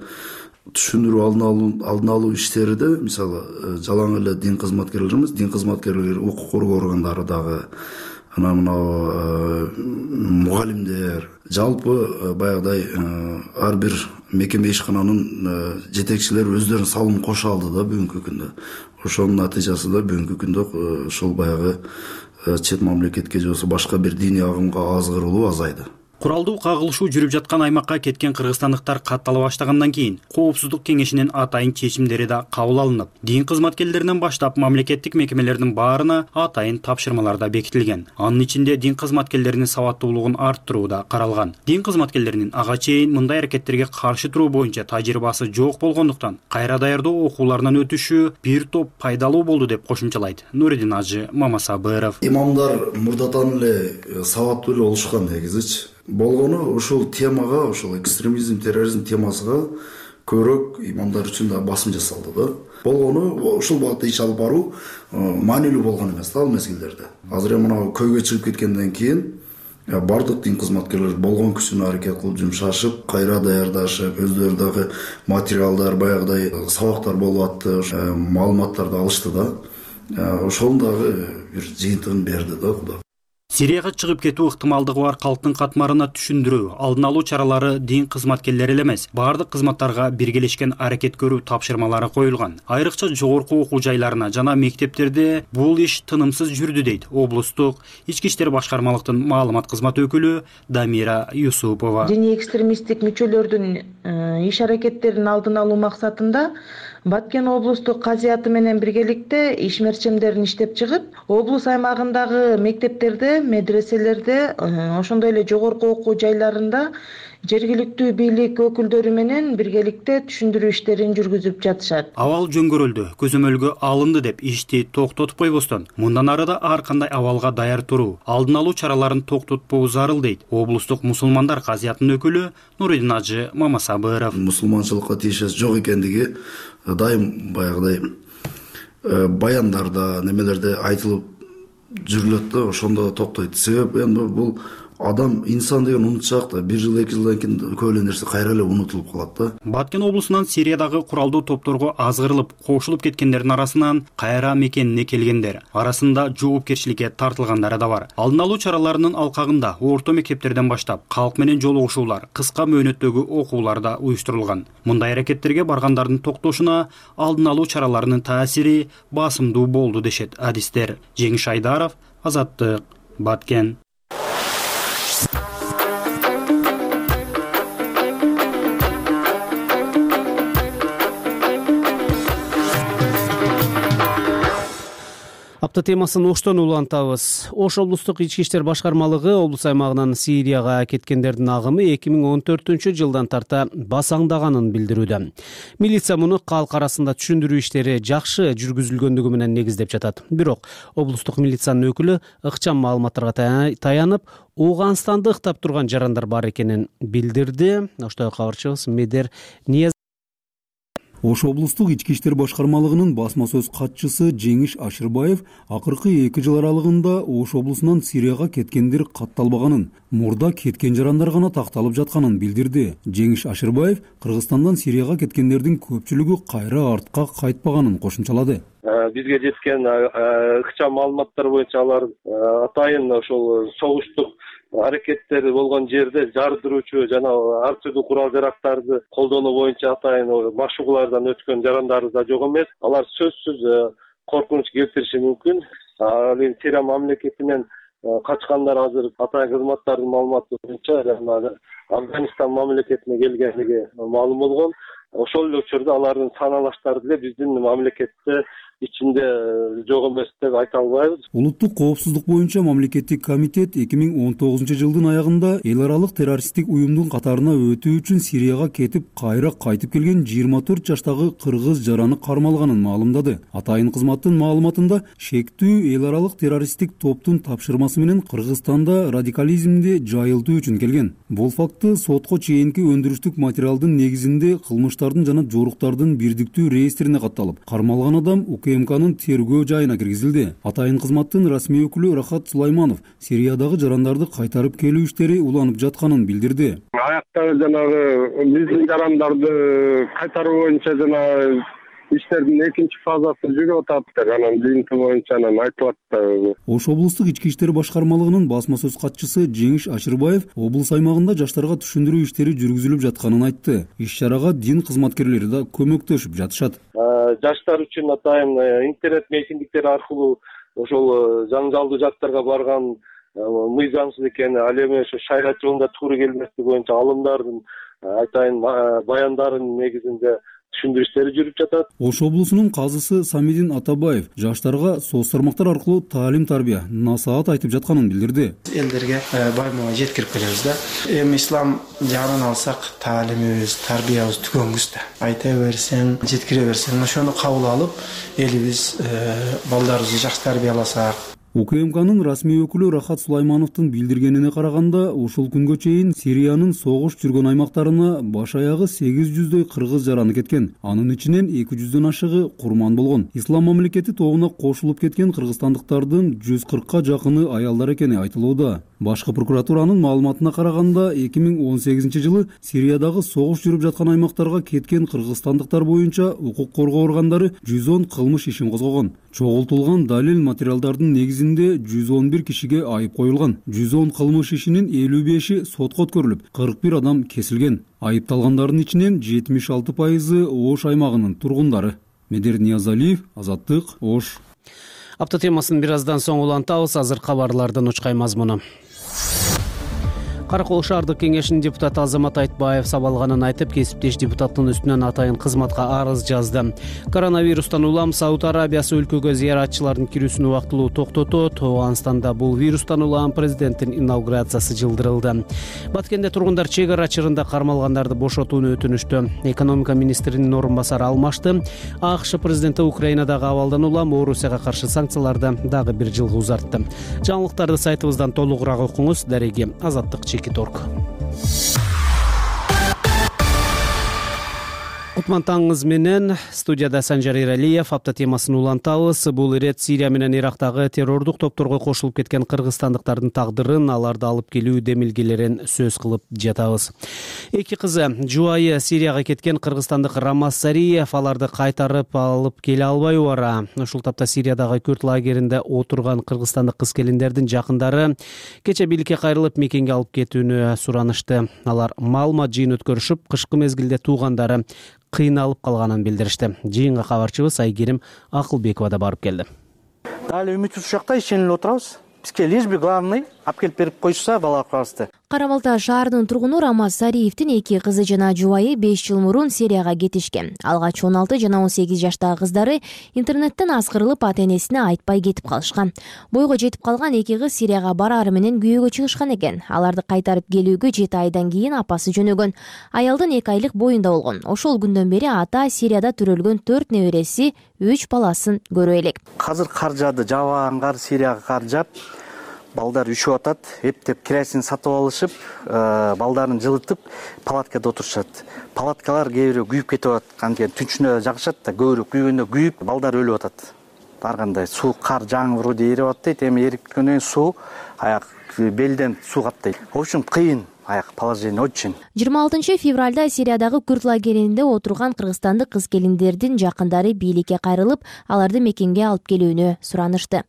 түшүндүрүү алдын алуу иштериде мисалы жалаң эле дин кызматкерлерибиз, дин кызматкерлери, укук коргоо органдары дагы мугалимдер, жалпы баягыдай ар бир мекеме ишкананын жетекчилери өздөрүнүн салымын кошо алды да бүгүнкү күндө. Ошонун натыйжасында бүгүнкү күндө ушул баягы чет мамлекетке же болбосо башка бир диний агымга азгырылуу азайды. Куралдуу кагылышуу жүрүп жаткан аймакка кеткен кыргызстандыктар каттала баштагандан кийин Коопсуздук кеңешинин атайын чечимдери да кабыл алынып, дин кызматкерлеринен баштап мамлекеттик мекемелердин баарына атайын тапшырмалар да бекитилген. Анын ичинде дин кызматкерлеринин сабаттуулугун арттыруу да каралган. Дин кызматкерлеринин ага чейин мындай аракеттерге каршы туруу боюнча тажрыйбасы жок болгондуктан кайра даярдоо окууларынан өтүшү бир топ пайдалуу болду деп кошумчалайт Нуридин Ажы Мамасабыров. Имамдар мурдатан эле сабаттуу эле болушкан негизичи. Болгону ушул темага, ушул экстремизм, терроризм темасына көбүрөөк имамдар үчүн да басым жасалды да. Болгону ушул багытта иш алып баруу маанилүү болгон эмес да ал мезгилдерде. Азыр мына көйгөй чыгып кеткенден кийин бардык дин кызматкерлер болгон күчүнө аракет кылып жумшашып, кайра даярдашып, өздөрү дагы материалдар, баягыдай сабактар болуп атты, маалыматтарды алышты да. Ошонун дагы бир жыйынтыгын берди да Кудай. Сирияга чыгып кетүү ыктымалдыгы бар калктын катмарына түшүндүрүү, алдын алуу чаралары дин кызматкерлери эле эмес, бардык кызматтарга биргелешкен аракет көрүү тапшырмалары коюлган. Айрыкча жогорку окуу жайларына жана мектептерде бул иш тынымсыз жүрдү дейт облустук ички иштер башкармалыктын маалымат кызматы өкүлү Дамира Юсупова. Диний экстремисттик мүчөлөрдүн иш аракеттерин алдын алуу максатында Баткен облустук казыяты менен биргеликте ишмерчемдерин иштеп чыгып, облус аймагындагы мектептерде, медреселерде, ошондой эле жогорку окуу жайларында жергиликтүү бийлик өкүлдөрү менен биргеликте түшүндүрүү иштерин жүргүзүп жатышат. Абал жөнгөрүлдү, көзөмөлгө алынды деп ишти токтотуп койбостон, мындан ары да ар кандай абалга даяр туруу, алдын алуу чараларын токтотпоо зарыл дейт облустук мусулмандар казыятынын өкүлү Нуридин Ажы Мамасабыров. Мусулманчылыкка тиешеси жок экендиги дайым баягыдай баяндарда, немелерде айтылып жүрүлөт да, ошондо токтойт. Себеп эми бул адам инсан деген унутчак да, 1 жыл 2 жылдан кийин көп эле нерсе кайра эле унутулуп калат да. Баткен облусунан Сириядагы куралдуу топторго азгырылып, кошулуп кеткендердин арасынан кайра мекенине келгендер арасында жоопкерчиликке тартылгандары да бар. Алдын алуу чараларынын алкагында орто мектептерден баштап калк менен жолугушуулар, кыска мөөнөттөгү окуулар да уюштурулган. Мындай аракеттерге баргандардын токтошуна алдын алуу чараларынын таасири басымдуу болду дешет адистер. Жеңиш Айдаров, Азаттык, Баткен. Апта темасын Оштон улантабыз. Ош облустук ички иштер башкармалыгы облус аймагынан Сирияга кеткендердин агымы 2014-жылдан тарта басаңдаганын билдирүүдө. Милиция муну калк арасында түшүндүрүү иштери жакшы жүргүзүлгөндүгү менен негиздеп жатат. Бирок облустук милициянын өкүлү ыкчам маалыматтарга таянып, Ооганстанды ыктап турган жарандар бар экенин билдирди. Ошто кабарчыбыз Медер Ниязов Ош облустук ички иштер башкармалыгынын басма сөз катчысы Жеңиш Ашырбаев акыркы 2 жыл аралыгында Ош облусунан Сирияга кеткендер катталбаганын, мурда кеткен жарандар гана такталып жатканын билдирди. Жеңиш Ашырбаев Кыргызстандан Сирияга кеткендердин көпчүлүгү кайра артка кайтпаганын кошумчалады. Бизге жеткен ыкчам маалыматтар боюнча алар атайын ошол согуштук аракеттери болгон жерде жардыруучу жана ар түрдүү курал жарактарды колдонуу боюнча атайын машыгуулардан өткөн жарандар да жок эмес. Алар сөзсүз коркунуч келтириши мүмкүн. Сирия мамлекетинен качкандар азыр атайын кызматтардын маалыматы боюнча Афганистан мамлекетине келгендиги маалым болгон. Ошол эле учурда алардын саналаштары деле биздин мамлекетте ичинде жок эмес деп айта албайбыз. Улуттук коопсуздук боюнча мамлекеттик комитет 2019-жылдын аягында эл аралык террористтик уюмдун катарына өтүү үчүн Сирияга кетип, кайра кайтып келген 24 жаштагы кыргыз жараны кармалганын маалымдады. Атайын кызматтын маалыматында шектүү эл аралык террористтик топтун тапшырмасы менен Кыргызстанда радикализмди жайылтуу үчүн келген. Бул факты сотко чейинки өндүрүштүк материалдын негизинде кылмыштардын жана жоруктардын бирдиктүү реестрине катталып, кармалган адам УКМКнын тергөө жайына киргизилди. Атайын кызматтын расмий өкүлү Рахат Сулайманов Сириядагы жарандарды кайтарып келүү иштери уланып жатканын билдирди. Аяктагы жанагы биздин жарандарды кайтаруу боюнча жана иштердин экинчи фазасы жүрүп атат, анан жыйынтыгы боюнча анан айтылат да. Ош облустук ички иштер башкармалыгынын басма сөз катчысы Жеңиш Ашырбаев облус аймагында жаштарга түшүндүрүү иштери жүргүзүлүп жатканын айтты. Иш-чарага дин кызматкерлери да көмөктөшүп жатышат. Жаштар үчүн атайын интернет митингдер аркылуу ошол жаңжалдуу жактарга барган мыйзамсыз экени, ал эми ошо шарият жолунда туура келмеслиги боюнча алымдардын айтайын баяндарынын негизинде түшүндүрүштөрү жүрүп жатат. Ош облусунун казысы Самидин Атабаев жаштарга соц тармактар аркылуу таалим тарбия, насаат айтып жатканын билдирди. Элдерге байма жеткирип келебиз да. Эми ислам жагынан алсак, таалимибиз, тарбиябыз түгөнгүс да. Айта берсең, жеткире берсең, ошону кабыл алып, элибиз балдарыбызды жакшы тарбияласак. УКМКнын расмий өкүлү Рахат Сулаймановдун билдиргенине караганда, ушул күнгө чейин Сириянын согуш жүргөн аймактарына баш аягы 800дөй кыргыз жараны кеткен. Анын ичинен 200дөн ашыгы курман болгон. Ислам мамлекети тобуна кошулуп кеткен кыргызстандыктардын 140ка жакыны аялдар экени айтылууда. Башкы прокуратуранын маалыматына караганда, 2018-жылы Сириядагы согуш жүрүп жаткан аймактарга кеткен кыргызстандыктар боюнча укук коргоо органдары 110 кылмыш ишин козгогон. Чогултулган далил материалдардын негизинде 111 кишиге айып коюлган. 110 кылмыш ишинин 55и сотко өткөрүлүп, 41 адам кесилген. Айыпталгандардын ичинен 76% Ош аймагынын тургундары. Медер Ниязалиев, Азаттык, Ош. Апта темасын бир аздан соң улантабыз. Азыр кабарлардын учкай мазмуну. Каракол шаардык кеңешинин депутаты Азамат Айтбаев сабалганын айтып, кесиптеш депутаттын үстүнөн атайын кызматка арыз жазды. Коронавирустан улам Сауд Арабиясы өлкөгө зыяратчылардын кирүүсүн убактылуу токтотот. Ооганстанда бул вирустан улам президенттин инаугурациясы жылдырылды. Баткенде тургундар чек ара чырында кармалгандарды бошотууну өтүнүштү. Экономика министринин орун басары алмашты. АКШ президенти Украинадагы абалдан улам Орусияга каршы санкцияларды дагы бир жылга узартты. Жаңылыктарды сайтыбыздан толугураак окуңуз. Дареги Азаттык Чекиторг. Кутман таңыңыз менен студияда Санжар Иралиев. Апта темасын улантабыз. Бул ирет Сирия менен Ирактагы террордук топторго кошулуп кеткен кыргызстандыктардын тагдырын, аларды алып келүү демилгелерин сөз кылып жатабыз. Эки кызы жубайы Сирияга кеткен кыргызстандык Рамаз Сариев аларды кайтарып алып келе албай убара. Ушул тапта Сириядагы күрд лагеринде отурган кыргызстандык кыз-келиндердин жакындары кече бийликке кайрылып мекенге алып кетүүнү суранышты. Алар маалымат жыйын өткөрүшүп, кышкы мезгилде туугандары кыйналып калганын билдиришти. Жыйынга кабарчыбыз Айгерим Акылбекова да барып келди. Дали үмүтсүз ушакта ишенип отурабыз. Бизге лишь бы главный алып келип берип койсо балакыбызды. Кара-Балта шаарынын тургуну Рамаз Сариевдин эки кызы жана жубайы 5 жыл мурун Сирияга кетишкен. Алгач 16 жана 18 жаштагы кыздары интернеттен аскырылып ата-энесине айтпай кетип калышкан. Бойго жетип калган эки кыз Сирияга бараары менен күйөөгө чыгышкан экен. Аларды кайтарып келүүгө 7 айдан кийин апасы жөнөгөн. Аялдын 2 айлык боюнда болгон. Ошол күндөн бери ата Сирияда төрөлгөн 4 небереси, 3 баласын көрө элек. Азыр кар жаады, жабаган кар, Сирияга кар жаап, балдар үшүп атат, эптеп керосин сатып алышып, балдарын жылытып, палаткада отурушат. Палаткалар кээ бирөө күйүп кетип атат, кантип түнчүнө жагышат да, көбүрөөк күйгөндө күйүп, балдар өлүп атат. Ар кандай суу, кар жаңырууду эрип атат, эми эриткөндөн кийин суу аяк белден суу каптайт. В общем, кыйын. Аяк положение очень. 26 февралда Сириядагы күрд лагеринде отурган кыргызстандык кыз-келиндердин жакындары бийликке кайрылып, аларды мекенге алып келүүнү суранышты.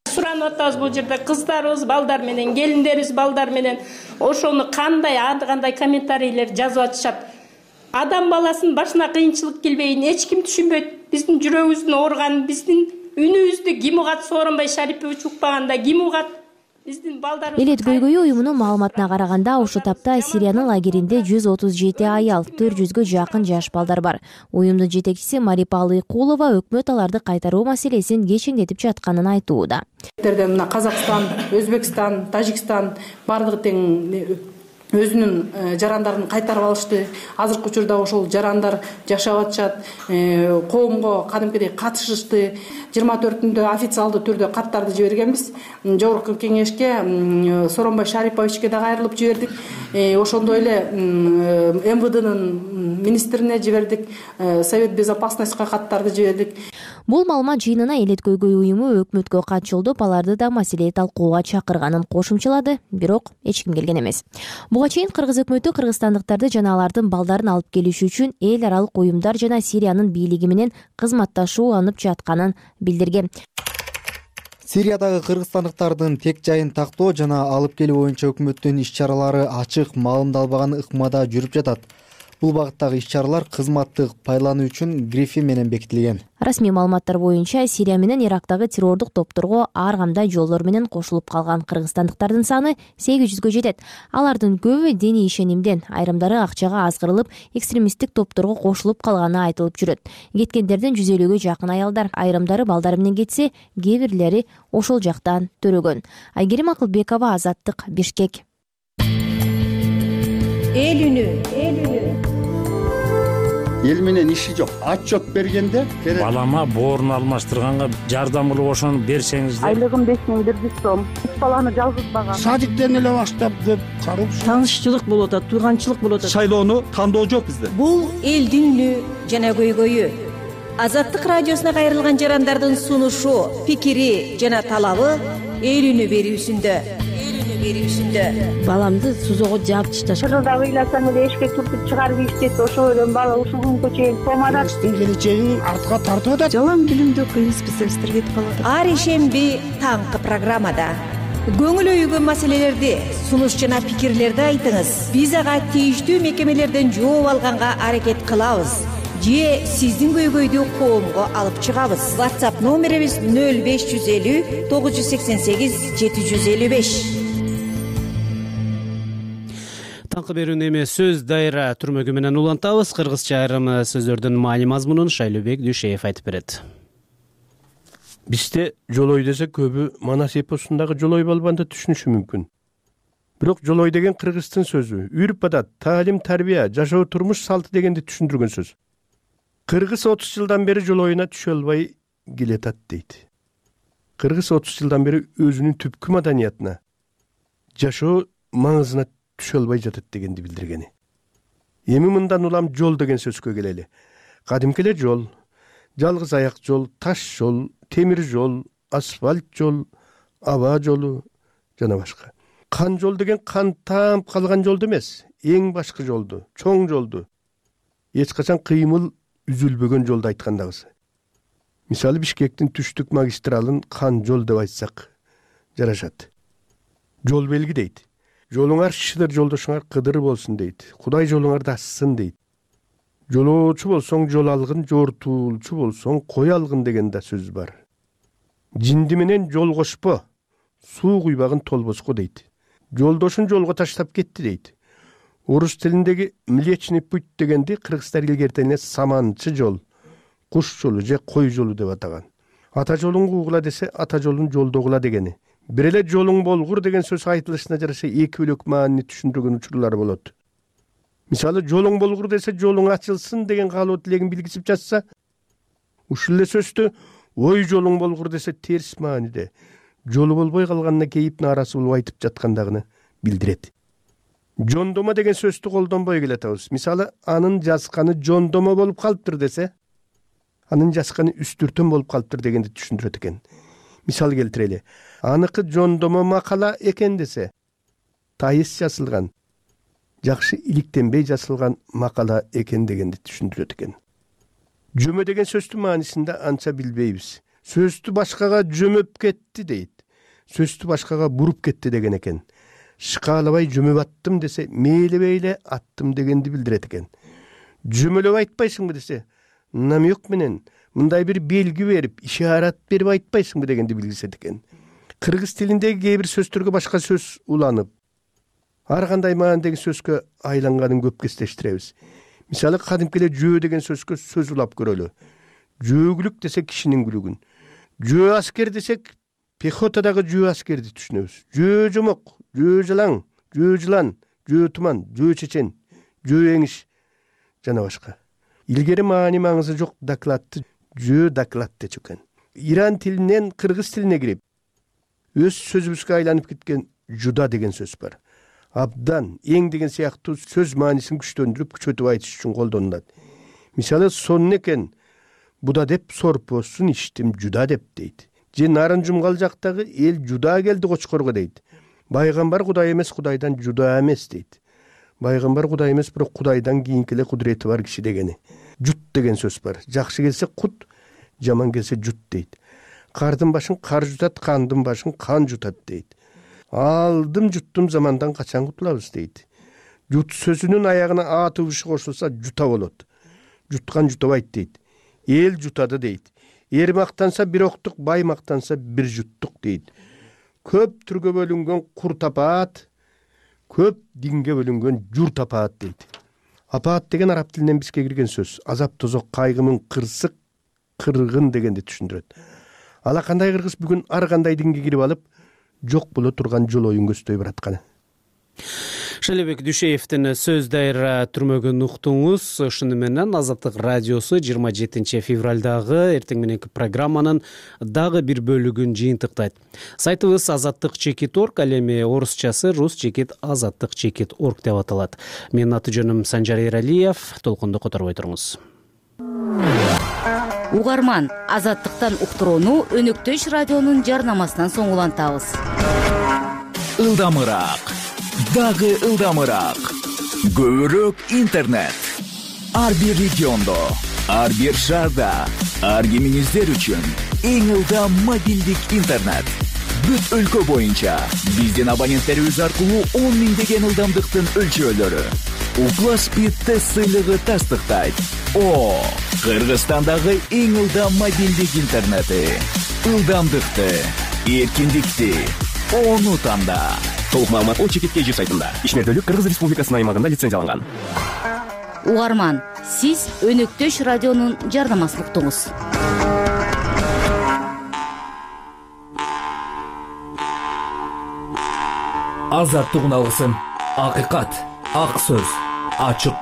Суранып атабыз бул жерде кыздарыбыз, балдар менен, келиндерибиз, балдар менен ошону кандай комментарийлер жазып атышат. Адам баласынын башына кыйынчылык келбейин эч ким түшүнбөйт. Биздин жүрөгүбүздүн ооруганын, биздин үнүбүздү ким угат, Сооронбай Шарипович укпаганда ким угат? Элет көйгөйү уюмунун маалыматына караганда, ошол тапта Сириянын лагеринде 137 аял, 400гө жакын жаш балдар бар. Уюмдун жетекчиси Марипа Алыкулова өкмөт аларды кайтаруу маселесин кечеңдетип жатканын айтууда. Мына Казакстан, Өзбекстан, Тажикстан бардыгы тең өзүнүн жарандарын кайтарып алышты. Азыркы учурда ошол жарандар жашап атышат, коомго кадимкидей катышышты. 24-түндө официалдуу түрдө каттарды жибергенбиз. Жогорку кеңешке Сооронбай Шариповичке да кайрылып жибердик. Ошондой эле МВДнын министрине жибердик, Совет безопасностька каттарды жибердик. Бул маалымат жыйынына Элет көйгөй уюму өкмөткө кат жолдоп, аларды да маселе талкууга чакырганын кошумчалады, бирок эч ким келген эмес. Буга чейин кыргыз өкмөтү кыргызстандыктарды жана алардын балдарын алып келиш үчүн эл аралык уюмдар жана Сириянын бийлиги менен кызматташууланып жатканын билдирген. Сириядагы кыргызстандыктардын тек жайын тактоо жана алып келүү боюнча өкмөттүн иш-чаралары ачык, маалымдалбаган ыкмада жүрүп жатат. Бул багыттагы иш-чаралар кызматтык пайдалануу үчүн грифи менен бекитилген. Расмий маалыматтар боюнча Сирия менен Ирактагы террордук топторго ар кандай жолдор менен кошулуп калган кыргызстандыктардын саны 800гө жетет. Алардын көбү диний ишенимден, айрымдары акчага азгырылып, экстремисттик топторго кошулуп калганы айтылып жүрөт. Кеткендердин 150гө жакын аялдар, айрымдары балдары менен кетсе, кээ бирлери ошол жактан төрөгөн. Айгерим Акылбекова, Азаттык, Бишкек. Эл үнү. Эл менен иши жок. Отчет бергенде балама боорун алмаштырганга жардам кылып ошону берсеңиз. Айлыгым 5100 сом. 3 баланы жалгызбаган. Садиктен эле баштап деп карыпчы. Таанышчылык болуп атат, тууганчылык болуп атат. Шайлоону тандоо жок бизде. Бул элдин үнү жана көйгөйү. Азаттык радиосуна кайрылган жарандардын сунушу, пикири жана талабы эл үнү берүүсүндө. Баламды сузого жаап ташташты. Кыргызда ыйласаң эле эшикке түртүп чыгарып иштет. Ошол эле бала ушул күнгө чейин комада. Келечеги артка тартып атат. Жалаң билимдүү кыйын специалисттер кетип калат. Ар ишемби таңкы программада көңүл өйгөн маселелерди, сунуш жана пикирлерди айтыңыз. Биз ага тийиштүү мекемелерден жооп алганга аракет кылабыз. Же сиздин көйгөйдү коомго алып чыгабыз. WhatsApp номерибиз 0550 988 755. Таңкы берүүнү эмес сөз дайра түрмөгү менен улантабыз. Кыргызча айрым сөздөрдүн маани мазмунун Шайлообек Дүйшеев айтып берет. Бизде жолой десе көбү Манас эпосундагы жолой балбанды түшүнүшү мүмкүн. Бирок жолой деген кыргыздын сөзү. Үрп адат, таалим, тарбия, жашоо турмуш салты дегенди түшүндүргөн сөз. Кыргыз 30 жылдан бери жолоюна түшө албай келатат дейт. Кыргыз 30 жылдан бери өзүнүн түпкү маданиятына, жашоо маңызына түшө албай жатат дегенди билдиргени. Эми мындан улам жол деген сөзгө келели. Кадимки эле жол, жалгыз аяк жол, таш жол, темир жол, асфальт жол, аба жолу жана башка. Кан жол деген кан таап калган жолду эмес, эң башкы жолду, чоң жолду. Эч качан кыймыл үзүлбөгөн жолду айткандагысы. Мисалы Бишкектин түштүк магистралын кан жол деп айтсак жарашат. Жол белги дейт. Жолуңар шыдыр, жолдошуңар кыдыр болсун дейт. Кудай жолуңарды ачсын дейт. Жолоочу болсоң жол алгын, жортуулчу болсоң кой алгын деген да сөз бар. Жинди менен жол кошпо, суу куйбагын толбоско дейт. Жолдошун жолго таштап кетти дейт. Орус тилиндеги Млечный путь дегенди кыргыздар илгертене саманчы жол, куш жолу же кой жолу деп атаган. Ата жолун куугула десе, ата жолун жолдогула дегени. Бир эле жолуң болгур деген сөз айтылышына жараша эки бөлөк маанини түшүндүргөн учурлар болот. Мисалы жолуң болгур десе, жолуң ачылсын деген каалоо тилегин билгизип жатса, ушул эле сөздү ой жолуң болгур десе терс мааниде жолу болбой калганына кейип нааразы болуп айтып жаткандыгын билдирет. Жондомо деген сөздү колдонбой келатабыз. Мисалы анын жазканы жондомо болуп калыптыр десе, анын жазканы үстүртөн болуп калыптыр дегенди түшүндүрөт экен. Мисал келтирели. Аныкы жондомо макала экен десе, тайыз жазылган, жакшы иликтенбей жазылган макала экен дегенди түшүндүрөт экен. Жөмө деген сөздүн маанисинде анча билбейбиз. Сөздү башкага жөмөп кетти дейт. Сөздү башкага буруп кетти деген экен. Шыкаалабай жөмөп аттым десе, мээлебейле аттым дегенди билдирет экен. Жөмөлөп айтпайсыңбы десе, намек менен мындай бир белги берип, ишарат берип айтпайсыңбы дегенди билгизет экен. Кыргыз тилиндеги кээ бир сөздөргө башка сөз уланып, ар кандай маанидеги сөзгө айланганын көп кездештиребиз. Мисалы кадимки эле жөө деген сөзгө сөз улап көрөлү. Жөөгүлүк десек кишинин күлүгүн. Жөө аскер десек пехотадагы жөө аскерди түшүнөбүз. Жөө жомок, жөө жалаң, жөө жылан, жөө туман, жөө чечен, жөө эңиш жана башка. Илгери маани маңызы жок докладты жөө доклад дечү экен. Иран тилинен кыргыз тилине кирип, өз сөзүбүзгө айланып кеткен жуда деген сөз бар. Абдан, эң деген сыяктуу сөз маанисин күчтөндүрүп, күчөтүп айтыш үчүн колдонулат. Мисалы сонун экен, буда деп сорпосун иштим жуда деп дейт. Же нарын жумгал жактагы эл жуда келди кочкорго дейт. Пайгамбар Кудай эмес, Кудайдан жуда эмес дейт. Пайгамбар Кудай эмес, бирок Кудайдан кийинки эле кудурети бар киши дегени. Жут деген сөз бар. Жакшы келсе кут, жаман келсе жут дейт. Кардын башын кар жутат, кандын башын кан жутат дейт. Алдым жуттум замандан качан кутулабыз дейт. Жут сөзүнүн аягына а тыбышы кошулса жута болот. Жуткан жутабайт дейт. Эл жутады дейт. Эр мактанса бир октук, бай мактанса бир жуттук дейт. Көп түргө бөлүнгөн кур тапаат, көп динге бөлүнгөн жур тапаат дейт. Апаат деген араб тилинен бизге кирген сөз. Азап тозок, кайгымын, кырсык, кыргын дегенди түшүндүрөт. Ала кандай кыргыз бүгүн ар кандай динге кирип алып, жок боло турган жолоюн көздөй баратканы. Шелебек Дүйшеевдин сөз дайра түрмөгүн уктуңуз. Ушуну менен Азаттык радиосу 27 февралдагы эртең мененки программанын дагы бир бөлүгүн жыйынтыктайт. Сайтыбыз azattik.org, ал эми орусчасы rus.azattik.org деп аталат. Менин аты жөнүм Санжар Эралиев. Толкунду которбой туруңуз. Угарман, Азаттыктан уктурууну Өнөктөш радионун жарнамасынан соң улантабыз. Ылдамыраак, дагы ылдамыраак. Көбүрөөк интернет. Ар бир региондо, ар бир шаарда, ар кимиңиздер үчүн эң ылдам мобилдик интернет. Бүт өлкө боюнча биздин абоненттерибиз аркылуу 10 миңдеген ылдамдыктын өлчөөлөрү. Уклас Speed тест сыйлыгы тастыктайт. Кыргызстандагы эң ылдам мобилдик интернети. Ылдамдыкты, эркиндикти, ону танда. Толук маалымат Ол Чекит KG сайтында. Ишмердүүлүк Кыргыз Республикасынын аймагында лицензияланган. Угарман, сиз Өнөктөш радионун жарнамасын уктуңуз. Азаттык уналгысын. Акыйкат, ак сөз, ачык